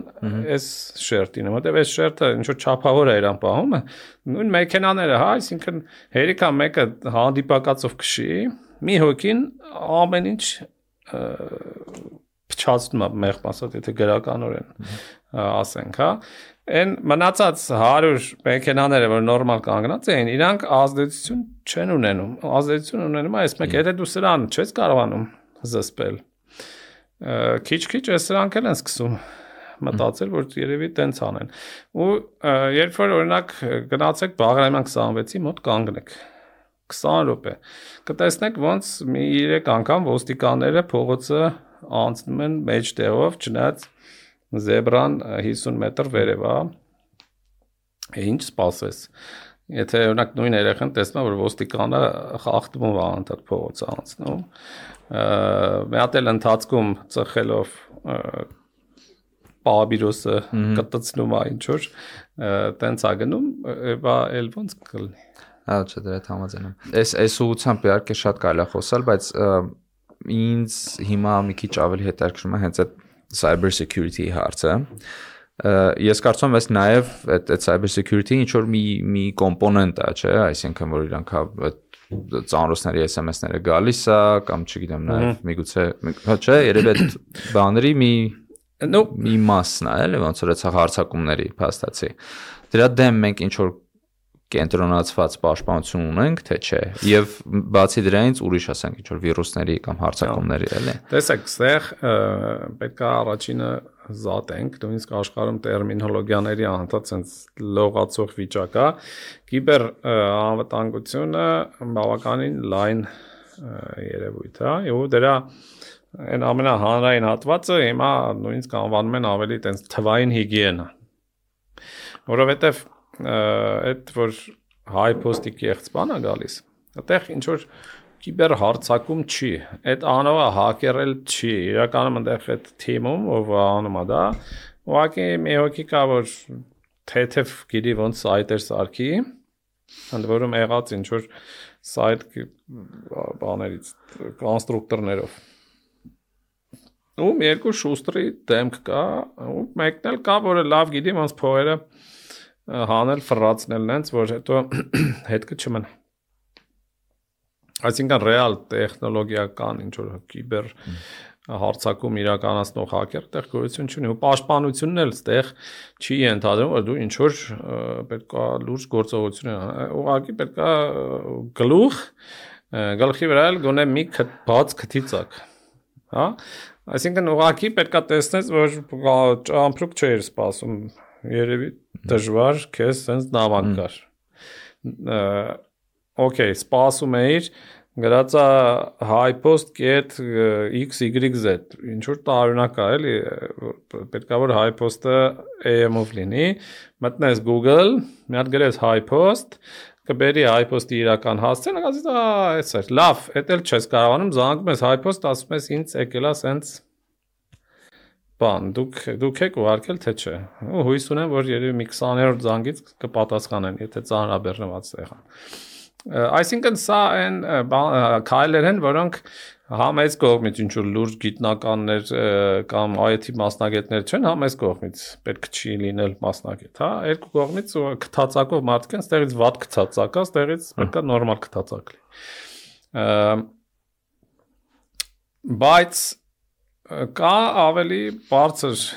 այս շերտինը, որտեղ այս շերտը ինչ որ չափավոր է իրան պահում, նույն մեքենաները, հա, այսինքն հերիքա մեկը հանդիպակացով քշի, մի հոգին ամեն ինչ փչացնում է մեղմ ասած, եթե գրականորեն ասենք, հա, այն մնացած 100 մեքենաները, որ նորմալ կանգնած էին, իրանք ազդեցություն չեն ունենում, ազդեցություն ունենում է այս մեկը, եթե դու սրան չես կարողանում զսպել, քիչ-քիչ այս սրանք էլ են սկսում մտածել, որ երևի տենց անեն, ու երբ որ օրինակ գնացեք Բաղրամյան 26-ի մոտ կանգնեք, 20 րոպե, կտեսնեք ոնց մի 3 անգամ ոստիկանները փողոցը անցնում են մեջտեղով, չնայած զեբրան 50 մետր վերև է, ինչ սպասես, եթե օրինակ նույն երեխան տեսնում որ ոստիկանը խախտում է անդադ փողոցը անցնում, մի հատ էլ ընթացքում ծխելով պաբիրոսը կտցնում է ինչ որ, տենց է գնում, բա էլ ոնց կլինի։ Հա, չէ, դրա հետ համաձայն եմ։ Այս ուղղությամբ իհարկե շատ կարելի է խոսալ, բայց ինձ հիմա մի քիչ ավելի հետաքրքրում է հենց այդ cyber security հարցը։ Ես կարծում եմ, այս նաև այդ cyber security-ը ինչ որ մի կոմպոնենտ է, չէ, այսինքն որ իրանք այդ ծանրոցների SMS-ները գալիս է, կամ չգիտեմ, նաև միգուցե, չէ, երևի այդ բաների մի մասն է, էլի, ոնց որ այդ հարցակումների փաստացի։ Դրա դեմ մենք ինչ որ կենտրոնացված պաշտպանություն ունենք, թե չէ, եւ բացի դրանից ուրիշ ասենք ինչ որ վիրուսների կամ հարցակումների, էլի։ Տեսեք, ստեղ պետք է առաջինը զատենք, նույնիսկ աշխարհում տերմինոլոգիաների անդադ sense լողացող վիճակ է, կիբեր անվտանգությունը բավականին լայն երևույթ է, եւ դրա այն ամենահանրային հատվածը հիմա նույնիսկ անվանում են ավելի տենց թվային հիգիենա, որովհետեւ այդ որ հայ post-ի կեղծբան է գալիս, այդտեղ ինչ որ կիբեր հարցակում չի, այդ անողը հակերել չի, իրականում այնտեղ այդ թիմում ով անում է դա, ուղղակի մի հոգի կա որ թեթև գիտի ոնց սայթեր սարքի, ընդ որում եղած ինչ որ սայթ բաներից կոնստրուկտորներով ու երկու շուստրի դեմք կա, ու մեկն էլ կա, որը լավ գիտի ոնց փողերը հանել ֆրացնել նենց, որ հետո հետքը չմնա։ Այսինքն ռեալ տեխնոլոգիական ինչ որ կիբեր հարցակում իրականացնող հակեր տեղ գոյություն չունի, ու պաշտպանությունն էլ ստեղ չի ենթադրում, որ դու ինչ որ պետք է լուրջ գործողություն անես, ուղղակի պետք է գլխի վրա էլ գոնե մի բաց քթի ծակ, հա, այսինքն ուղղակի պետք է տեսնես, որ ճամփրուկ չէր սպասում երևի դժվար քեզ sense նավակ կար։ Okay, սպասում էիր գրածա highpost.xyz ինչ որ տարօրինակ է էլի պետքա որ highpost-ը AM-ով լինի մտնես Google մի հատ գրես highpost կբերի highpost-ի իրական հասցեն ասես այս է լավ էդ էլ չես կարողանում զանգում ես highpost ասում ես ինձ եկելա sense բան դուք եք ուղարկել թե չէ ու հույս ունեմ որ երևի մի 20-րդ զանգից կպատասխանեն եթե ծանրաբեռնված եղան այսինքն սա այն քայլեր են որոնք համ այս կողմից ինչ որ լուրջ գիտնականներ կամ IT մասնագետներ չեն համ այս կողմից պետք չի լինել մասնագետ հա երկու կողմից քթածակով մարդիկ են ստեղից վատ քթածակա ստեղից պետքա նորմալ քթածակ լինի բայց կա ավելի բարձր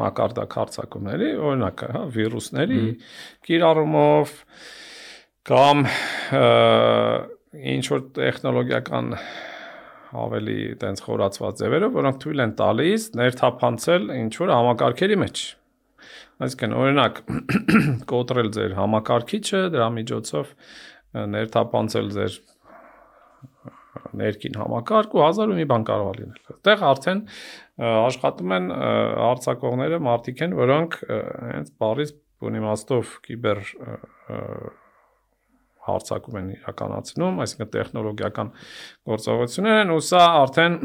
մակարդակ հարցակումների օրինակ հա վիրուսների կիրառումով կամ ինչ որ տեխնոլոգիական ավելի տենց խորացված ձևերով, որոնք թույլ են տալիս ներթափանցել ինչ որ համակարգերի մեջ։ Այսինքն օրինակ կոտրել ձեր համակարգիչը, դրա միջոցով ներթափանցել ձեր ներքին համակարգ ու հազար ու մի բան կարող է լինել։ Այդտեղ արդեն աշխատում են հարցակողները մարդիկ են, որոնք հենց բառից իմաստով կիբեր հարցակում են իրականացնում, այսինքն տեխնոլոգիական գործողություններ են ու սա արդեն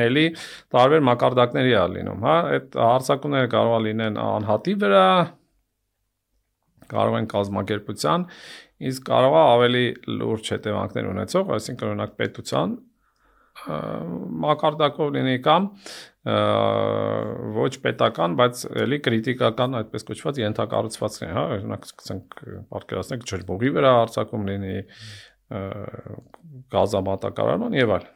էլի տարբեր մակարդակների է լինում, հա, այդ հարցակումները կարող է լինեն անհատի վրա, կարող են կազմակերպության, իսկ կարող է ավելի լուրջ հետևանքներ ունեցող, այսինքն օրինակ պետության մակարդակով լինի կամ ոչ պետական, բայց էլի կրիտիկական այդպես կոչված ենթակառուցվածքներ, հա, օրինակ սկսենք պատկերացնենք ջրբուղի վրա հարձակում լինի, գազամատակարարման եւ այլն։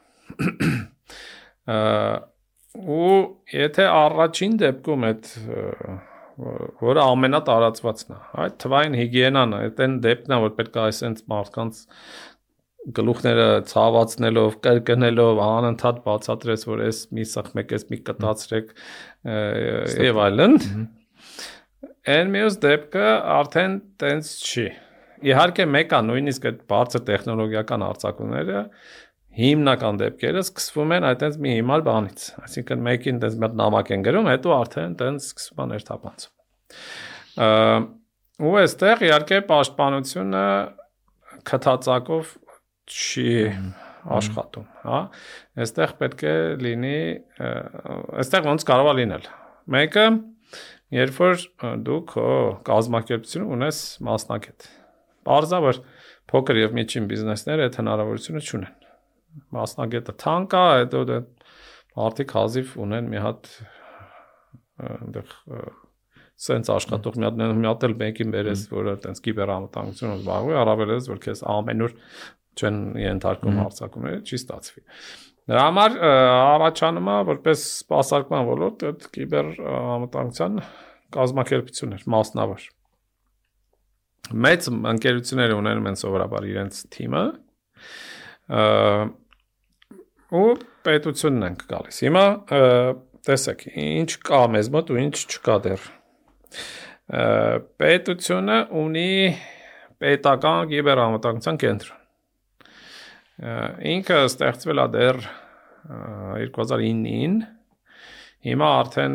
Ու եթե առաջին դեպքում այդ որը ամենատարածվածն է, այդ թվային հիգիենան է, այդ դեպքն է, որ պետք է այսպես մարդկանց գլուխները ցավացնելով, կրկնելով, անընդհատ բացատրես, որ էս մի սխմեք, էս մի կտացրեք եւ այլն։ Այն մյուս դեպքը արդեն տենց չի։ Իհարկե մեկը նույնիսկ այդ բարձր տեխնոլոգիական արձակումները հիմնական դեպքերը սկսվում են այդպես մի հիմար բանից։ Այսինքն մեկին տենց մի հատ նամակ են գրում, հետո արդեն տենց սկսվում է ներթափանցում։ Ու այստեղ իհարկե պաշտպանությունը քթածակով չի աշխատում, հա։ Այստեղ պետք է լինի, այստեղ ոնց կարող է լինել։ Մեկը, երբ որ դու քո կազմակերպությունը ունես մասնագետ։ Պարզա որ փոքր եւ միջին բիզնեսները այդ հնարավորությունը չունեն։ Մասնագետը թանկ է, հետո մարդիկ հազիվ ունեն մի հատ այնտեղ սենց աշխատող մի հատ էլ մեկին բերես, որը այտենց կիբերամտանգությունով զբաղվի, առավելևս որ քեզ ամենուր չեն ենթարկում հարցակումները, չի ստացվի։ Դրա համար առաջանում է որպես սպասարկման ոլորտ այդ կիբերամտանգության կազմակերպություններ, մասնավոր։ Մեծ ընկերությունները ունենում են սովորաբար իրենց թիմը, ու պետությունն ենք գալիս։ Հիմա տեսեք, ինչ կա մեզ մոտ ու ինչ չկա դեռ։ Պետությունը ունի պետական կիբերամտանգության կենտրոն։ Ինքը ստեղծվել է դեռ 2009-ին, հիմա արդեն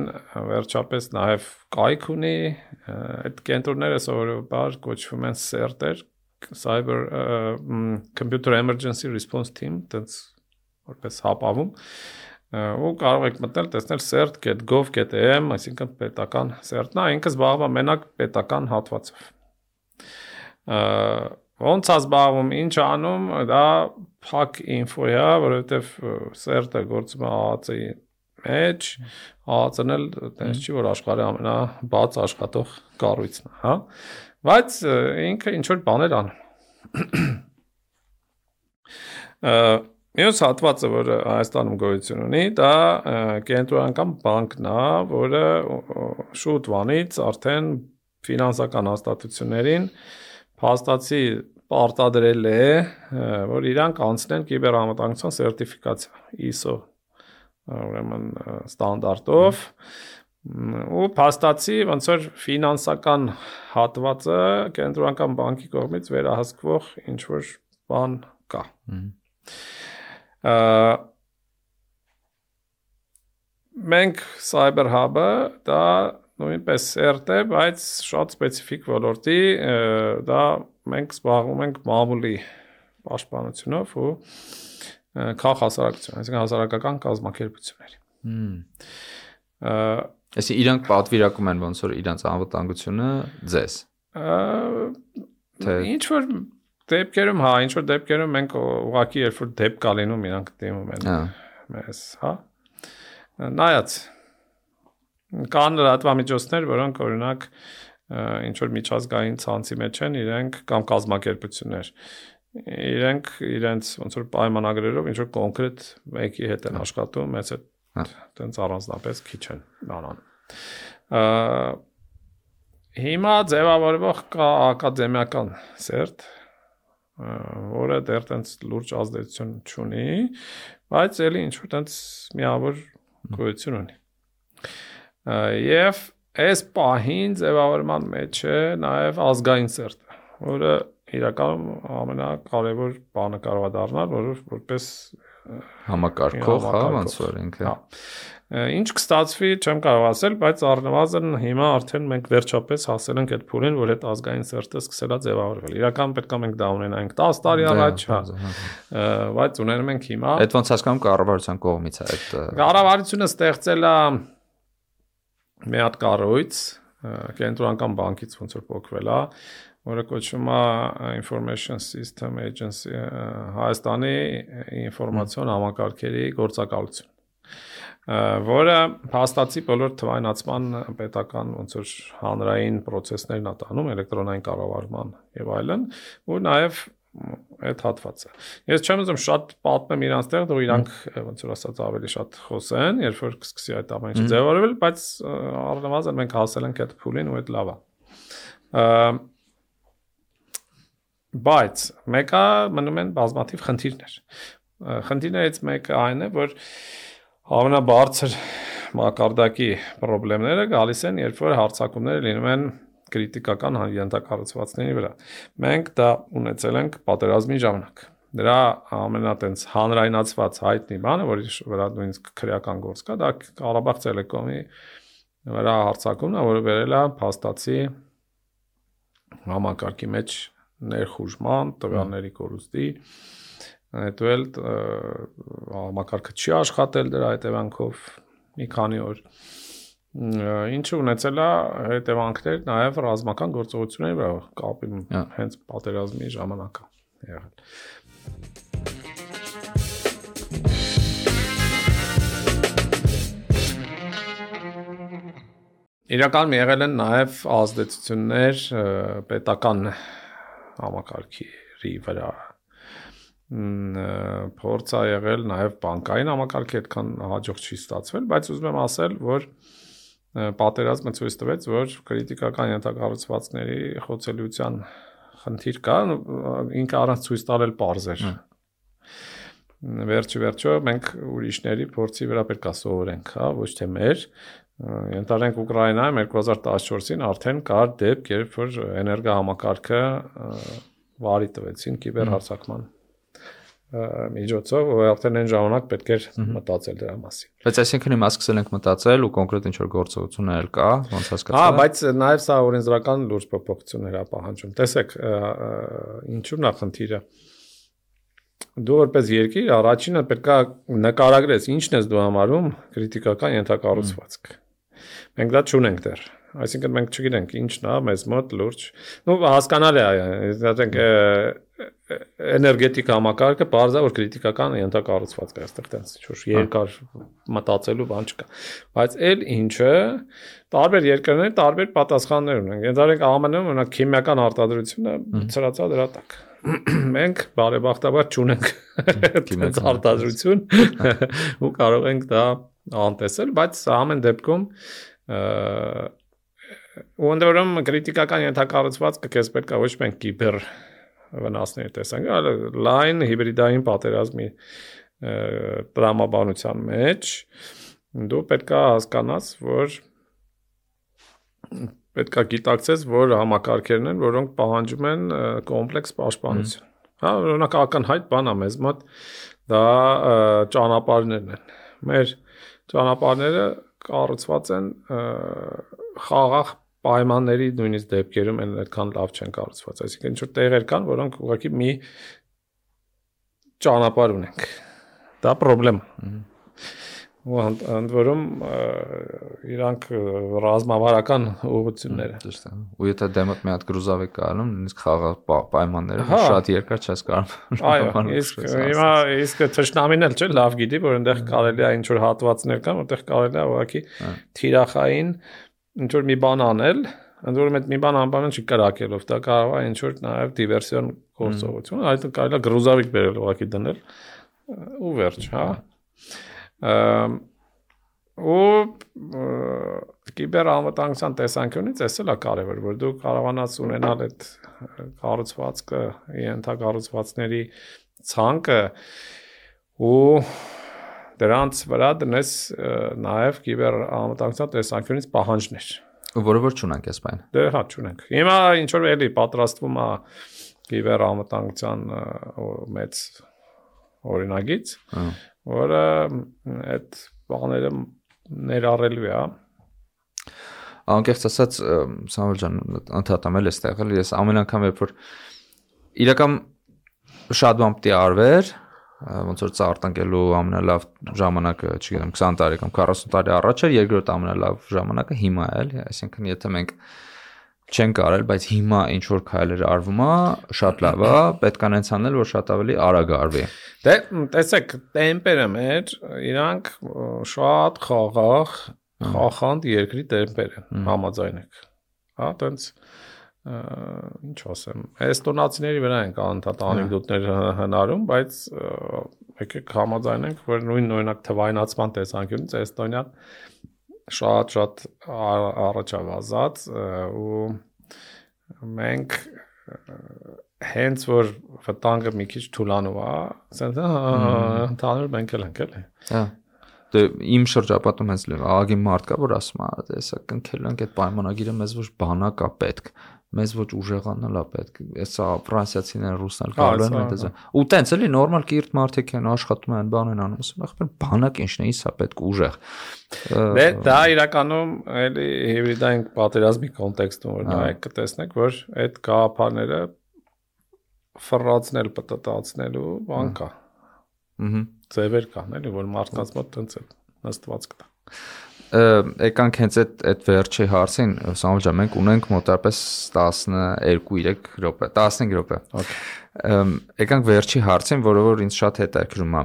վերջապես նաև կայք ունի, այդ կենտրոնները սովորաբար կոչվում են CERT-եր, Cyber Computer Emergency Response Team, դից որպես հապավում, ու կարող եք մտնել, տեսնել cert.gov.am, այսինքն պետական CERT-ն է, ինքը զբաղվում է մենակ պետական հատվածով։ Ոնց է զբաղվում, ինչ անում, դա փակ ինֆո է, որովհետև CERT-ը գործում է ԱԱԾ-ի մեջ, ԱԱԾ-ն էլ տենց չի, որ աշխարհի ամենաբաց աշխատող կառույցն է, հա։ Բայց ինքը ինչ որ բաներ անում։ Մյուս հատվածը, որը Հայաստանում գոյություն ունի, դա կենտրոնական բանկն է, որը շուտ վանից արդեն ֆինանսական հաստատություններին փաստացի պարտադրել է, որ իրանք անցնեն կիբերամտանգության սերտիֆիկացիա ISO ուրեմն ստանդարտով, ու փաստացի ոնց որ ֆինանսական հատվածը կենտրոնական բանկի կողմից վերահսկվող ինչ որ բան կա։ Մենք Cyber Hub-ը դա նույնպես CERT է, բայց շատ սպეციფიկ ոլորտի, դա մենք զբաղվում ենք մամուլի պաշտպանությունով ու քաղաքասարակություն, այսինքն հասարակական կազմակերպությունների։ Այսինքն իրանք պատվիրակում են ոնց որ իրանց անվտանգությունը ձեզ։ Ինչ որ դեպքերում, ինչ որ դեպքերում մենք ուղղակի երբ որ դեպք կա լինում, իրանք դիմում են մեզ, նայած կան լրատվամիջոցներ, որոնք օրինակ ինչ որ միջազգային ցանցի մեջ են իրենք կամ կազմակերպություններ։ Իրենք իրենց ոնց որ պայմանագրերով ինչ որ կոնկրետ մեկի հետ են աշխատում, մեծ է տենց առանձնապես քիչ են բանան։ Հիմա ձևավորվող կա ակադեմիական CERT, որը դեռ տենց լուրջ ազդեցություն չունի, բայց էլի ինչ որ տենց միավոր գոյություն ունի։ Եվ այս պահին ձևավորման մեջ է նաև ազգային CERT-ը, որը իրականում ամենակարևոր բանը կարող է դառնալ, որպես համակարգող, ոնց որ ինքը։ Ինչ կստացվի, չեմ կարող ասել, բայց առնվազն հիմա արդեն մենք վերջապես հասել ենք այդ փուլին, որ այդ ազգային CERT-ը սկսել է ձևավորվել։ Իրական պետք է մենք դա ունենանք 10 տարի առաջ, բայց ունենում ենք հիմա։ Այդ ոնց հասկանում կառավարության կողմից է այդ։ Կառավարությունը ստեղծել է մի հատ կառույց, կենտրոնական բանկից ոնց որ փոխվել է, որը կոչվում է Information System Agency, Հայաստանի ինֆորմացիոն համակարգերի գործակալություն, որը փաստացի բոլոր թվայնացման պետական ոնց որ հանրային process-ներն է տանում, էլեկտրոնային կառավարման եւ այլն, ու նաեւ այդ հատվածը։ Ես չեմ ուզում շատ պատմեմ իրանց տեղ, դու իրանք ոնց որ ասած ավելի շատ խոսեն, երբ որ կսկսի այդ ամեն ինչը ձևավորվել, բայց առնվազն մենք հասել ենք այդ փուլին ու այդ լավ է։ Բայց մեկը մնում են բազմաթիվ խնդիրներ։ Խնդիրներից մեկը այն է, որ ամենաբարձր մակարդակի խնդիրները գալիս են, երբ որ հարձակումները լինում են քրիտիկական ենթակառուցվածքների վրա։ Մենք դա ունեցել ենք պատերազմի ժամանակ։ Դրա ամենատենց հանրայնացված հայտնի բանը, որի վրա նույնիսկ քրեական գործ կա, դա Ղարաբաղ Տելեկոմի վրա հարձակումն է, որը վերել է փաստացի համակարգի մեջ ներխուժման, տվյալների կորուստի, հետո էլ համակարգը չի աշխատել դրա հետևանքով մի քանի օր, ինչը ունեցել է հետևանքներ նաև ռազմական գործողությունների վրա, կապի հենց պատերազմի ժամանակ է եղել։ Իրականում եղել են նաև ազդեցություններ պետական համակարգերի վրա, փորձ է եղել նաև բանկային համակարգի այդքան հաջող չի ստացվել, բայց ուզում եմ ասել, որ պատերազմը ցույց տվեց, որ քրիտիկական ենթակառուցվածքների խոցելիության խնդիր կա, ինքը առանց ցույց տալել պարզ էր։ Վերջո մենք ուրիշների փորձի վրա պետք է սովորենք, ոչ թե մեր։ Ենթադրենք Ուկրաինայում 2014-ին արդեն կար դեպք, երբ որ էներգոհամակարգը վարի տվեցին կիբերհարձակման միջոցով, որ արդեն այն ժամանակ պետք էր մտածել դրա մասին։ Բայց այսինքն հիմա սկսել ենք մտածել ու կոնկրետ ինչ-որ գործողություններ կա, ոնց հասկացա։ Բայց նաև սա օրենսդրական լուրջ փոփոխություններ է պահանջում։ Տեսեք, ինչու՞ն է խնդիրը։ Դու որպես երկիր առաջինը պետք է նկարագրես ինչն ես դու համարում քրիտիկական ենթակառուցվածք։ Մենք դա չունենք դեռ։ Այսինքն մենք չգիտենք ինչն է մեզ մոտ լուրջ։ Հասկանալի է, ասենք էներգետիկ համակարգը բարձր որ քրիտիկական ենթակառուցվածք է, այստեղ տենց ինչ-որ երկար մտածելու բան չկա։ Բայց այլ ինչը տարբեր երկրներ տարբեր պատասխաններ ունեն։ Ենթադրենք ԱՄՆ-ում օրինակ քիմիական արտադրությունը ծրացա դրա տակ։ Մենք բարեբախտաբար չունենք այդ արտադրություն ու կարող ենք դա անտեսել, բայց ամեն դեպքում ու ընդորում քրիտիկական ենթակառուցվածքը քեզ պետք է ոչ միայն կիբեր վնասներ տեսանք, այլ լայն հիբրիդային պատերազմի տրամաբանության մեջ դու պետք է հասկանաս, որ պետք է գիտակցես, որ համակարգերն են, որոնք պահանջում են կոմպլեքս պաշտպանություն։ Հա, օրինակ ակնհայտ բան է մեզ մոտ, դա ճանապարհներն են։ Մեր ճանապարհները կառուցված են խաղաղ պայմանների նույնիսկ դեպքերում են այդքան լավ չեն կառուցված, այսինքն ինչ որ տեղեր կան, որոնք ուղղակի մի ճանապարհ ունենք։ Դա խնդրեմ է։ Ու ընդ որում իրանք ռազմավարական ուղղություններ են։ Ճիշտ է։ Ու եթե դեմդ մի հատ գրուզավեկ կանում, նույնիսկ խաղաղ պայմանները շատ երկար չես կարող։ Այո, իսկ թշնամին էլ չէ, լավ գիտի, որ այնտեղ կարելի է ինչ որ հատվածներ կան, որտեղ կարելի է ուղղակի թիրախային ինչ որ մի բան անել, ընդ որում այդ մի բան անբանան չի կրակելով, դա կարող է ինչ որ նաև դիվերսիոն գործողություն, այդ կարելի է գրուզավեկ բերել ուղղակի դնել ու վերջ, հա։ Ու կիբերանվտանգության տեսանկյունից էս էլ է կարևոր, որ դու կարողանաս ունենալ այդ կառուցվածքը, ենթակառուցվածքների ցանկը ու դրանց վրա դնես նաև կիբերանվտանգության տեսանկյունից պահանջներ, որը որ չունենք այս բանը։ Դե հա չունենք։ Հիմա ինչ որ էլի պատրաստվում է կիբերանվտանգության մեծ օրինագիծ, որը այդ բաները ներառելու է։ Անկեղծ ասած, Սամվել ջան, ընդհատամ էլ էստեղ էլ ես ամեն անգամ երբ որ իրական շատ բան պետք է արվեր, ոնց որ ծառտնկելու ամենալավ ժամանակը, չգիտեմ, 20 տարի կամ 40 տարի առաջ էր, երկրորդ ամենալավ ժամանակը հիմա է, էլի, այսինքն եթե մենք չենք արել, բայց հիմա ինչ որ քայլեր արվում է, շատ լավ է, պետք է նենց անել, որ շատ ավելի արագ արվի։ Դե տեսեք, տեմպերը մեր իրանք շատ խաղաղ, խախանդ երկրի տեմպեր են, համաձայն եք։ Հա, տենց ինչ ասեմ, էստոնացիների վրա են անընդհատ անեկդոտներ հնարում, բայց եկեք համաձայնենք, որ նույն օրինակ թվայնացման տեսանկյունից Էստոնիան շատ առաջ է վազած ու մենք հենց որ վտանգը մի քիչ թուլանում է, ասենք ընդհանուր մենք էլ ենք էլի։ Հա։ Դե իմ շրջապատում հենց աղագին մարդ կա, որ ասում է, տեսա կնքել ենք այդ պայմանագիրը, մեզ ոչ բանակ է պետք, մեզ ոչ ուժեղանալ է պետք, էսա ֆրանսիացիներն ռուսներ գալու են այդպես։ Ու տենց էլի նորմալ կիրթ մարդիկ են աշխատում են, բան են անում, ասում ախպեր բանակ ինչն է, իսա պետք ուժեղ։ Դե դա իրականում էլի հիբրիդային պատերազմի կոնտեքստում որ նայեք կտեսնեք, որ այդ գաղափարները ֆռացնել, պտտացնելու բան կա։ Ձևեր կան, էլի, որ մարդկանց մոտ տենց է նստված կտա։ Եկանք հենց այդ վերջի հարցին, Սամվել ջան, մենք ունենք մոտավորապես 12-3 րոպե, 15 րոպե։ Եկանք վերջի հարցին, որը որ ինձ շատ հետաքրքրում է։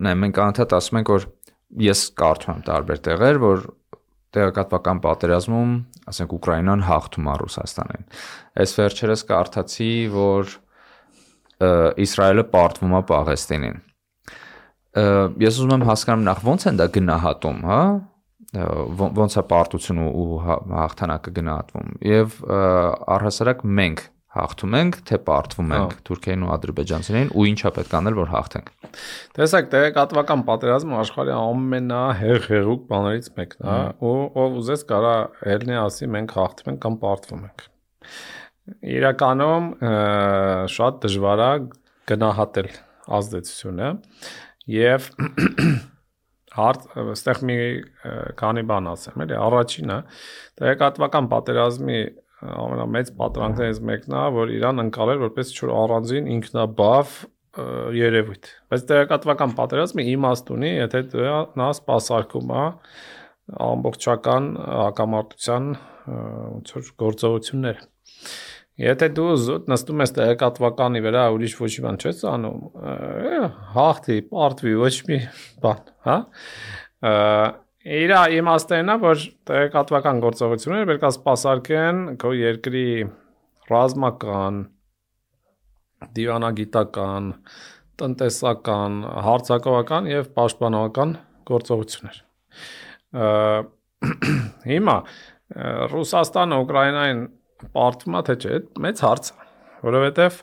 Նայ, մենք անընդհատ ասում ենք, որ ես կարդում եմ տարբեր տեղեր, որ տեղեկատվական պատերազմում, ասենք Ուկրաինան հաղթում է Ռուսաստանին։ Այս վերջերս կարդացի, որ Իսրայելը պարտվում է Պաղեստինին։ Ես ուզում եմ հասկանամ նախ ոնց են դա գնահատում, հա? Ոնց է պարտությունը ու հաղթանակը գնահատվում։ Եվ առհասարակ մենք հաղթում ենք, թե պարտվում ենք Թուրքիային ու ադրբեջանցիներին ու ինչա պետք անել, որ հաղթենք։ Տեսեք, տեղեկատվական պատերազմը աշխարհի ամենահեղեղուկ բաներից մեկն է, ու ով ուզես կարա ելնի ասի մենք հաղթում ենք կամ պարտվում ենք։ Իրականում շատ դժվար է գնահատել ազդեցությունը եւ այստեղ մի քանի բան ասեմ, էլի առաջինը տեղեկատվական պատերազմի ամենամեծ պատրանքներից մեկն է, որ Իրան ընկալել որպես ինչ-որ առանձին ինքնաբավ երևույթ։ Բայց տեղեկատվական պատերազմը իմաստ ունի, եթե նա սպասարկում է ամբողջական հակամարտության ոնց որ գործողություններ։ Եթե դու զուտ նստում ես տեղեկատվականի վրա, ուրիշ ոչ մի բան չես անում, հաղթի, պարտվի, ոչ մի բան, հա։ Իր իմաստն է, որ տեղեկատվական գործողությունները պետք է սպասարկեն քո երկրի ռազմական, դիվանագիտական, տնտեսական, հարձակողական եւ պաշտպանողական գործողություններ։ Հիմա Ռուսաստանը Ուկրաինային պարտվում է թե չէ, մեծ հարց է, որովհետև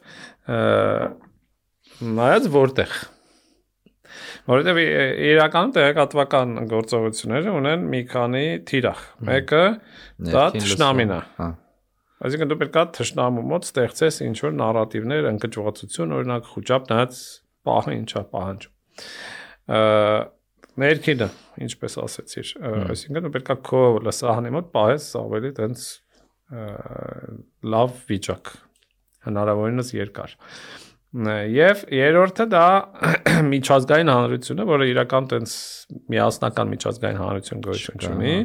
նայած որտեղ։ Որովհետև իրականում տեղեկատվական գործողությունները ունեն մի քանի թիրախ։ Մեկը դա թշնամին է։ Այսինքն դու պետք է թշնամու մոտ ստեղծես ինչ-որ նարատիվներ, ընկճվածություն, օրինակ խոճապ նայած պահը ինչա պահանջում։ Ներքինը, ինչպես ասեցիր, այսինքն դու պետք է քո լսահանի մոտ պահես ավելի տենց լավ վիճակ, հնարավորինս երկար։ Եվ երրորդը դա միջազգային հանրությունը, որը իրական տենց միասնական միջազգային հանրություն գոյություն ունի,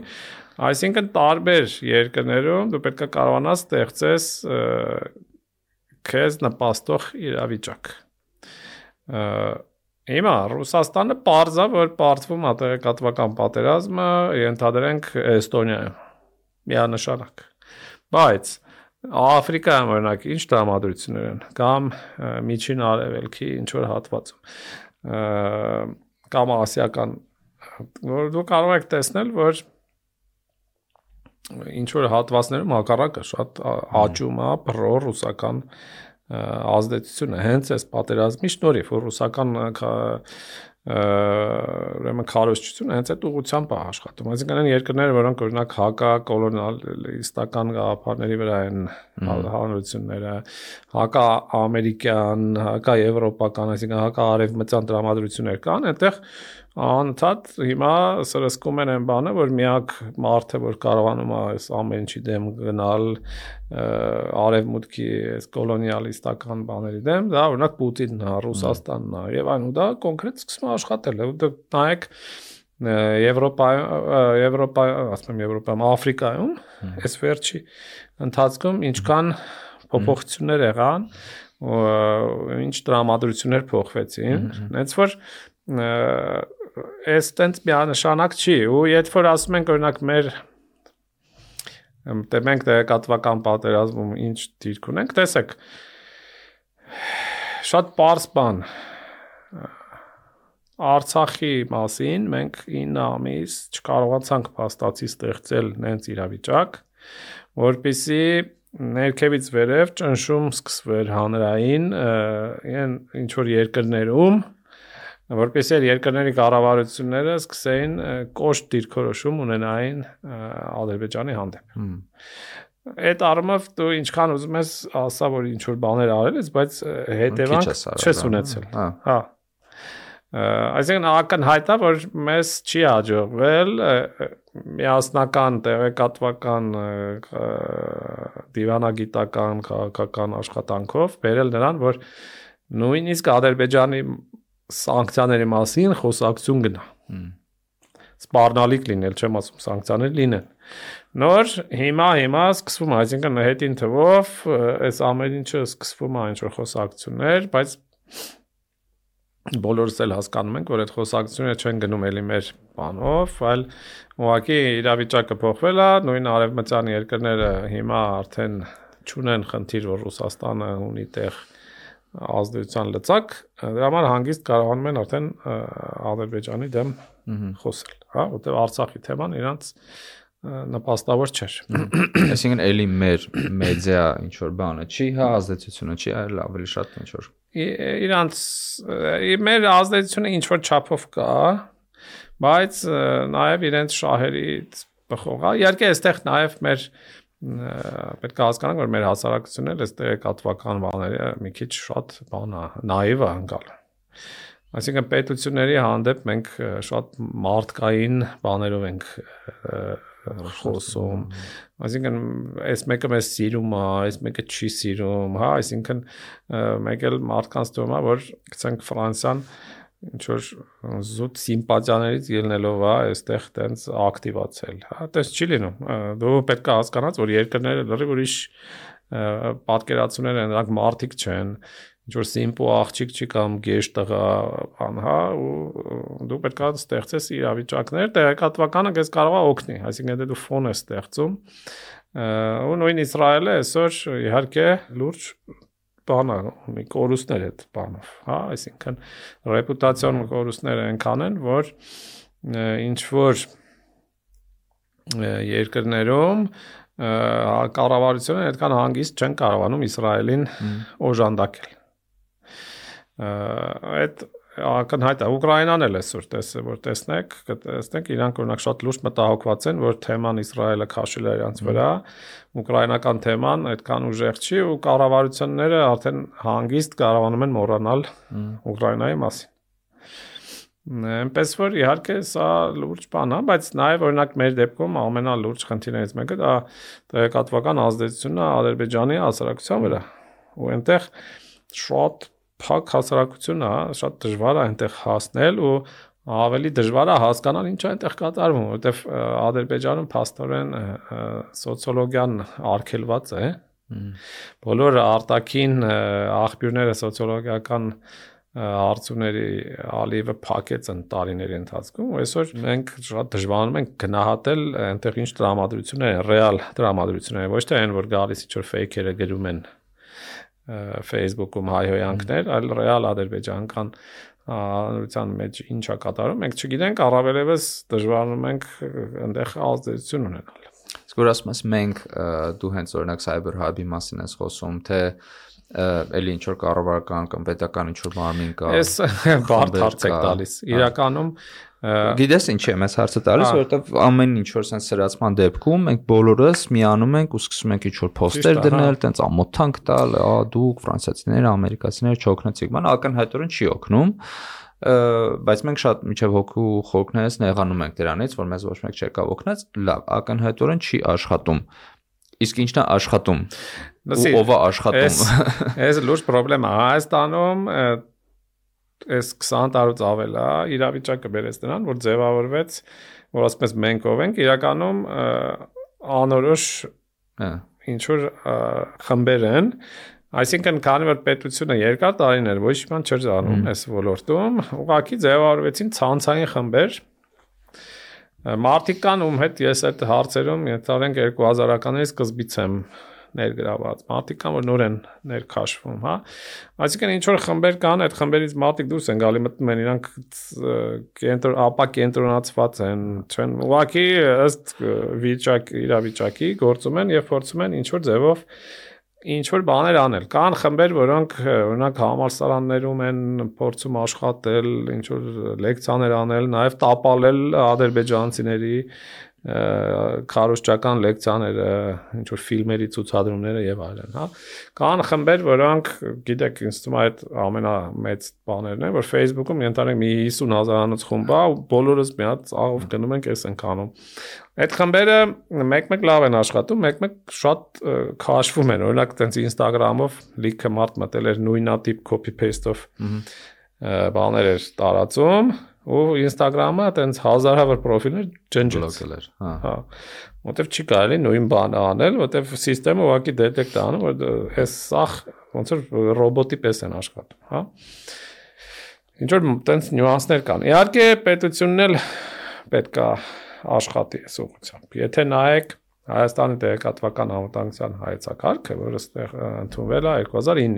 այսինքն տարբեր երկրներում դու պետք է կարողանաս ստեղծես քեզ նպաստող իրավիճակ։ Հիմա Ռուսաստանը պարզ է, որ պարտվում է տեղեկատվական պատերազմը, ենթադրենք Էստոնիայում, միանշանակ։ Բայց Աֆրիկայում օրինակ ինչ տրամադրություններ են, կամ Միջին Արևելքի ինչ-որ հատվածում, կամ ասիական, որ դու կարող եք տեսնել, որ ինչ-որ հատվածներում հակառակը շատ աճում է պրո-ռուսական ազդեցությունը, հենց այս պատերազմի շնորհիվ, որ ռուսական ուրեմն քարոզչությունը հենց այդ ուղղությամբ է աշխատում։ Այսինքն այն երկրները, որոնք օրինակ հակակոլոնիալիստական գաղափարների վրա են հանրությունները, հակաամերիկյան, հակաեվրոպական, այսինքն հակաարևմտյան տրամադրություններ կան, այնտեղ անընդհատ հիմա սրսկում են այն բանը, որ միակ մարդը, որ կարողանում է այս ամեն ինչի դեմ գնալ, արևմուտքի այս կոլոնիալիստական բաների դեմ, դա օրինակ Պուտինն է, Ռուսաստանն է, եւ այն ու դա կոնկրետ սկսում է աշխատել։ Դուք նայեք Եվրոպայում, Աֆրիկայում, այս վերջի ընթացքում ինչքան փոփոխություններ եղան, ինչ տրամադրություններ փոխվեցին, հենց որ այս տենց միանշանակ չի, ու երբ որ ասում ենք օրինակ մենք տեղեկատվական պատերազմում ինչ դիրք ունենք, տեսեք, շատ պարզ բան, Արցախի մասին մենք 9 ամիս չկարողացանք փաստացի ստեղծել նենց իրավիճակ, որպեսզի ներքևից վերև ճնշում սկսվեր հանրային ինչ-որ երկրներում, որպեսզի երկրների կառավարությունները սկսեին կոշտ դիրքորոշում ունենային Ադրբեջանի հանդեպ։ Այդ առումով դու ինչքան ուզում ես ասա, որ ինչ-որ բաներ արել ես, բայց հետևանք չես ունեցել։ Հա։ Այսինքն ակնհայտ է, որ մեզ չի հաջողվել միասնական տեղեկատվական դիվանագիտական քաղաքական աշխատանքով բերել նրան, որ նույնիսկ Ադրբեջանի սանկցիաների մասին խոսակցություն գնա։ Սպառնալիք լինել, չեմ ասում սանկցիաներ լինեն։ Նոր հիմա սկսվում է, այսինքն հետին թվով այս ամեն ինչը սկսվում է ինչ-որ խոսակցություններ, բայց բոլորս էլ հասկանում ենք, որ այդ խոսակցությունները չեն գնում էլի մեր բանով, այլ ուղղակի իրավիճակը փոխվել է, նույն արևմտյան երկրները հիմա արդեն չունեն խնդիր, որ Ռուսաստանը ունի տեղ ազդեցության լծակ, դրա համար հանգիստ կարողանում են արդեն Ադրբեջանի դեմ խոսել, հա, որտեղ Արցախի թեման իրանց նպաստավոր չէր։ Այսինքն էլի մեր մեդիա ինչ որ բանը չի, հա, ազդեցությունը չի, այլ ավելի շատ ինչ որ իրանց մեր ազդեցությունը ինչ որ չափով կա, բայց նաև իրենց շահերից բխող է։ Իհարկե այստեղ նաև մեր պետք է հասկանանք, որ մեր հասարակությունն էլ այս տեղեկատվական բաները մի քիչ շատ բան է, նաիվ է անցալ։ Այսինքն պետությունների հանդեպ մենք շատ մարդկային բաներով ենք խոսում, այսինքն այս մեկը մեզ սիրում է, այս մեկը չի սիրում, հա, այսինքն մեկ էլ մարդկանց թվում է, որ գցենք Ֆրանսիան ինչ որ զուտ սիմպաթիաներից ելնելով է այստեղ տենց ակտիվացել, հա, դες չի լինում, դու պետք է հասկանաս, որ երկրները լրիվ ուրիշ պատկերացումներ են, նրանք մարդիկ չեն, ինչ որ սիմպո աղջիկ չի կամ գեշ տղա, բան, հա, ու դու պետք է ստեղծես իրավիճակներ, տեղեկատվականը քեզ կարող է օգնի, այսինքն դու ֆոն ես ստեղծում, ու նույն Իսրայելը այսօր իհարկե լուրջ բան է, ունի կորուստներ այդ բանով, հա, այսինքն ռեպուտացիոն կորուստներ այնքան են, որ ինչ որ երկրներում կառավարությունը այդքան հանգիստ չեն կարողանում Իսրայելին օժանդակել։ Այդ ակնհայտ է Ուկրաինան էլ էսօր որ տեսնենք իրանք օրինակ շատ լուրջ մտահոգված են որ թեման Իսրայելը քաշել է իրանց վրա ուկրաինական թեման այդքան ուժեղ չի ու կառավարությունները արդեն հանգիստ կարողանում են մոռանալ Ուկրաինայի մասին Այնպես որ իհարկե սա լուրջ բան է, բայց նաև օրինակ մեր դեպքում ամենալուրջ խնդիրներից մեկը դա տեղեկատվական ազդեցությունն է Ադրբեջանի հասարակության վրա։ Ու այնտեղ շատ փակ հասարակություն է, շատ դժվար է այնտեղ հասնել ու ավելի դժվար է հասկանալ ինչ է այնտեղ կատարվում, որովհետև Ադրբեջանում փաստորեն սոցիոլոգիան արգելված է։ Բոլոր արտաքին աղբյուրները սոցիոլոգիական հարցումների ալիևը փակեց են տարիների ընթացքում ու այսօր մենք շատ դժվարանում ենք գնահատել այնտեղ ինչ տրամադրություններ են, ռեալ տրամադրություններ, ոչ թե այն որ գալիս ինչ-որ ֆեյքերը գրում են Facebook-ում հայհոյանքներ, այլ ռեալ ադրբեջանական հանրության մեջ ինչա կատարում, մենք չգիտենք, առավելևս դժվարանում ենք այնտեղ ազդեցություն ունենալ։ Իսկ որ ասում ես մենք դու հենց օրինակ Cyber Hub-ի մասին ես խոսում, թե էլի ինչ որ կառավարական կամ պետական ինչ որ մարմին կա։ Էս բարդ հարց եք տալիս։ Իրականում գիտես ինչ եմ ես հարցը տալիս, որովհետև ամեն ինչ որ sense սրացման դեպքում մենք բոլորս միանում ենք ու սկսում ենք ինչ որ post-եր դնել, տենց ամոթանք տալ, դուք ֆրանսիացիները, ամերիկացիները չօգնեցիք, ման ակնհայտորեն չի օգնում, բայց մենք շատ միջև հոգու խորքներս նեղանում ենք դրանից, որ մեզ ոչ մեկ չեկավ օգնեց, լավ, ակնհայտորեն չի աշխատում։ Իսկ ինչն է աշխատում։ Ով է աշխատում։ Այս լուրջ խնդրեմ է Հայաստանում այս 20 տարուց ավել է իրավիճակը բերեց դրան, որ ձևավորվեց, որ ասում ես մենք ով ենք, իրականում անորոշ ինչ որ խմբեր են, այսինքն քանի որ պետությունը երկար տարիներ ոչ մի բան չէր անում այս ոլորտում, ուղղակի ձևավորվեցին ցանցային խմբեր Մարդիկ կան ում հետ ես այդ հարցերում ենթադրենք 2000-ականների սկզբից եմ ներգրաված մարդիկ կան որ նոր են ներքաշվում, հա այսինքն ինչ որ խմբեր կան, այդ խմբերից մարդիկ դուրս են գալի մտնում են իրանք ապա կենտրոնացված են, չեն ուղղակի ըստ իրավիճակի գործում են եւ փորձում են ինչ որ ձևով ինչ որ բաներ անել։ Կան խմբեր, որոնք օրինակ համալսարաններում են փորձում աշխատել, ինչ որ լեկցիաներ անել, նաև տապալել ադրբեջանցիների քարոզչական լեկցիաները, ինչ որ ֆիլմերի ցուցադրումները եւ այլն, հա։ Կան խմբեր, որոնք գիտեք, ինձ թվում է այդ ամենամեծ բաներն են, որ Facebook-ում ենթադրենք մի 50,000-անոց խումբ է, ու բոլորս մի հատ աղով գնում ենք էս ենք անում։ Այդ խմբերը մեկ-մեկ լավ են աշխատում, մեկ-մեկ շատ քաշվում են, օրինակ տենց Instagram-ով լիքը մարդ մտել էր նույնատիպ copy-paste-ով բաներ էր տարածում ու Instagram-ը տենց հազարավոր պրոֆիլներ ջնջեց էր, հա, որտեվ չի կարելի նույն բանը անել, որտեվ համակարգը ուղղակի դետեկտ է անում, որ այս սախ ոնց որ ռոբոտի պես են աշխատում, հա։ Ինչ որ տենց նյուանսներ կան։ Իհարկե պետությունն էլ պետք է աշխատի այս ուղղությամբ։ Եթե նայեք Հայաստանի տեղեկատվական անվտանգության հայեցակարգը, որը ստեղ ընդունվել է 2009-ին,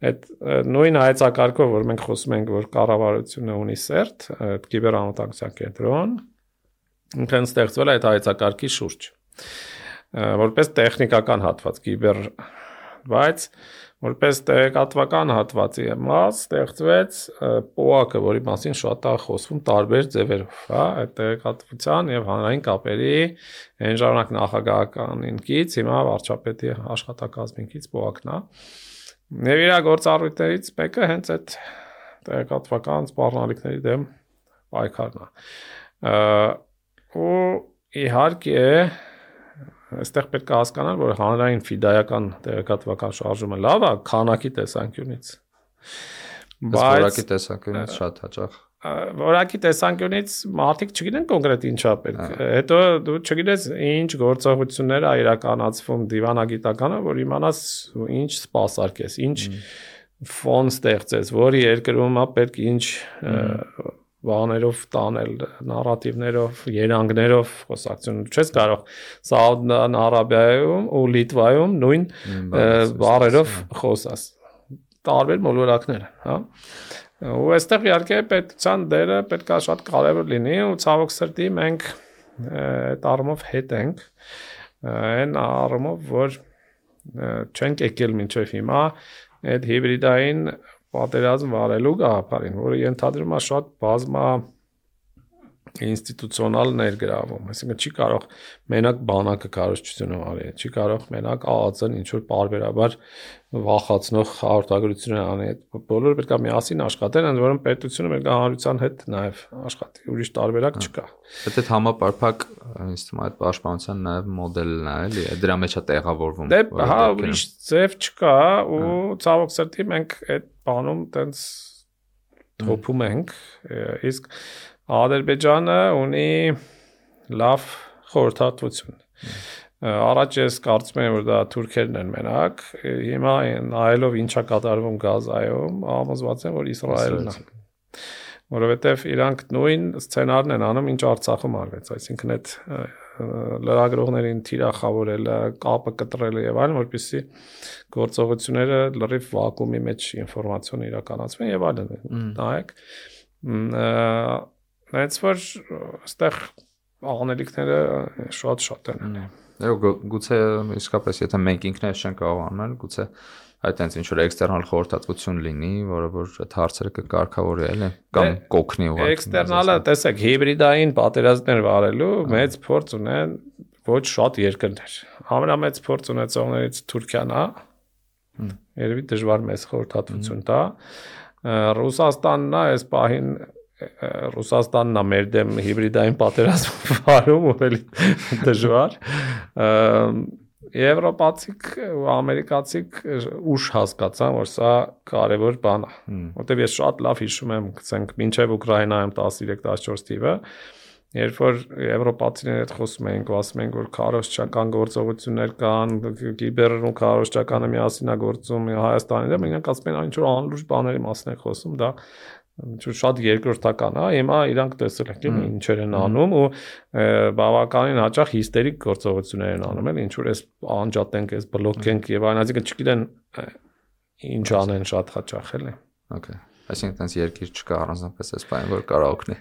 այդ նույն հայեցակարգով, որ մենք խոսում ենք, որ կառավարությունը ունի CERT, կիբեր անվտանգության կենտրոն, ինքն ստեղծվել է այդ հայեցակարգի շուրջ, որպես տեխնիկական հատված կիբեր, բայց որպես տեղեկատվական հատվածի մաս ստեղծվեց POAK-ը, որի մասին շատ է խոսվում տարբեր ձևերով, հա, այդ տեղեկատվության եւ հանրային կապերի այն ժամանակ նախագահականինքից, հիմա վարչապետի աշխատակազմինքից POAK-ն է։ Եվ իր գործառույթներից մեկը հենց այդ տեղեկատվական սպառնալիքների դեմ պայքարն է։ Ու իհարկե այստեղ պետք է հասկանալ, որ հանրային ֆիդայական տեղեկատվական շարժումը լավ է քանակի տեսանկյունից։ Բայց որակի տեսանկյունից շատ հաճախ։ Որակի տեսանկյունից մարդիկ չգիտեն կոնկրետ ինչա պետք։ Հետո դու չգիտես ինչ գործողություններ է իրականացվում դիվանագիտականը, որ իմանաս ինչ սպասարկես, ինչ ֆոն ստեղծես, որի երկրում է պետք ինչ բաներով տանել, նարատիվներով, երանգներով խոսակցություն չես կարող Սաուդյան Արաբիայում ու Լիտվայում նույն բառերով խոսաս տարբեր մոլորակներ, հա։ Ու այստեղ իհարկե պետության դերը պետք է շատ կարևոր լինի ու ցավոք սրտի մենք այդ առումով հետ ենք այն առումով որ չենք եկել մինչև հիմա այդ հիբրիդային պատերազմ վարելու գաղափարին, որը ենթադրում է շատ բազմա ինստիտուցիոնալ ներգրավում, այսինքն չի կարող մենակ բանակը քարոզչությունը արի, չի կարող մենակ ԱԱԾ-ն ինչ որ պարբերաբար վախացնող հաղորդագրություններ անի, բոլորը պետք է միասին աշխատեն, ընդ որում պետությունը պետք է հանրության հետ նաև աշխատի, ուրիշ տարբերակ չկա։ Բայց այդ համապարփակ ինձ թվում է այդ պաշտպանության նաև մոդելն է, էլի, դրա մեջ է տեղավորվում։ Դե, հա, ուրիշ ձև չկա ու ցավոք սրտի մենք այդ բանում տենց թոփում ենք, իսկ Ադրբեջանը ունի լավ խորհրդատվություն։ Առաջ ես կարծում եմ, որ դա թուրքերն են մենակ, հիմա նայելով ինչա կատարվում Գազայում, համոզված եմ, որ Իսրայելն է։ Որովհետև իրանք նույն սցենարն են անում, ինչ Արցախում արվեց, այսինքն այդ լրագրողներին թիրախավորելը, կապը կտրելը եւ այլն, որպեսզի գործողությունները լրիվ վակուումի մեջ ինֆորմացիոն իրականացվեն եւ այլն։ Նայեք, Նայած որ այստեղ անելիքները շատ են։ Գուցե իսկապես եթե մենք ինքներս չենք կարող անել, գուցե այդտենց ինչ որ էքստերնալ խորհրդատվություն լինի, որը որ այդ հարցերը կկարգավորի, էլի, կամ կօգնի ուղղակի։ Էքստերնալը, տեսեք, հիբրիդային պատերազմներ վարելու մեծ փորձ ունեն ոչ շատ երկրներ։ Ամենամեծ փորձ ունեցողներից Թուրքիան է։ Երևի դժվար մեծ խորհրդատվություն տա։ Ռուսաստանն է այս պահին Ռուսաստանն է մեր դեմ հիբրիդային պատերազմ վարում, ուրելի դժվար։ Եվրոպացիք ու ամերիկացիք ուշ հասկացան, որ սա կարևոր բան է։ Որտեւ ես շատ լավ հիշում եմ, գցենք, մինչև Ուկրաինայում 13-14 թիվը, երբ որ եվրոպացիների հետ խոսում էինք, ասում էինք, որ քարոզչական գործողություններ կան, կիբերն ու քարոզչականը միասին է գործում Հայաստանի դեմ, իրենք ասում են, ինչ որ անլուրջ բաների մասին են խոսում, դա շատ երկրորդական է, հիմա իրանք տեսել են ինչեր են անում ու բավականին հաճախ հիստերիկ գործողություններ են անում, ինչ որ էս անջատենք, էս բլոկենք եւ այն, այսինքն չգիտեն ինչ անեն շատ հաճախ էլի։ Okay. Այսինքն տենց երկիր չկա առանձնապես այս բանը, որ կարող օգնի։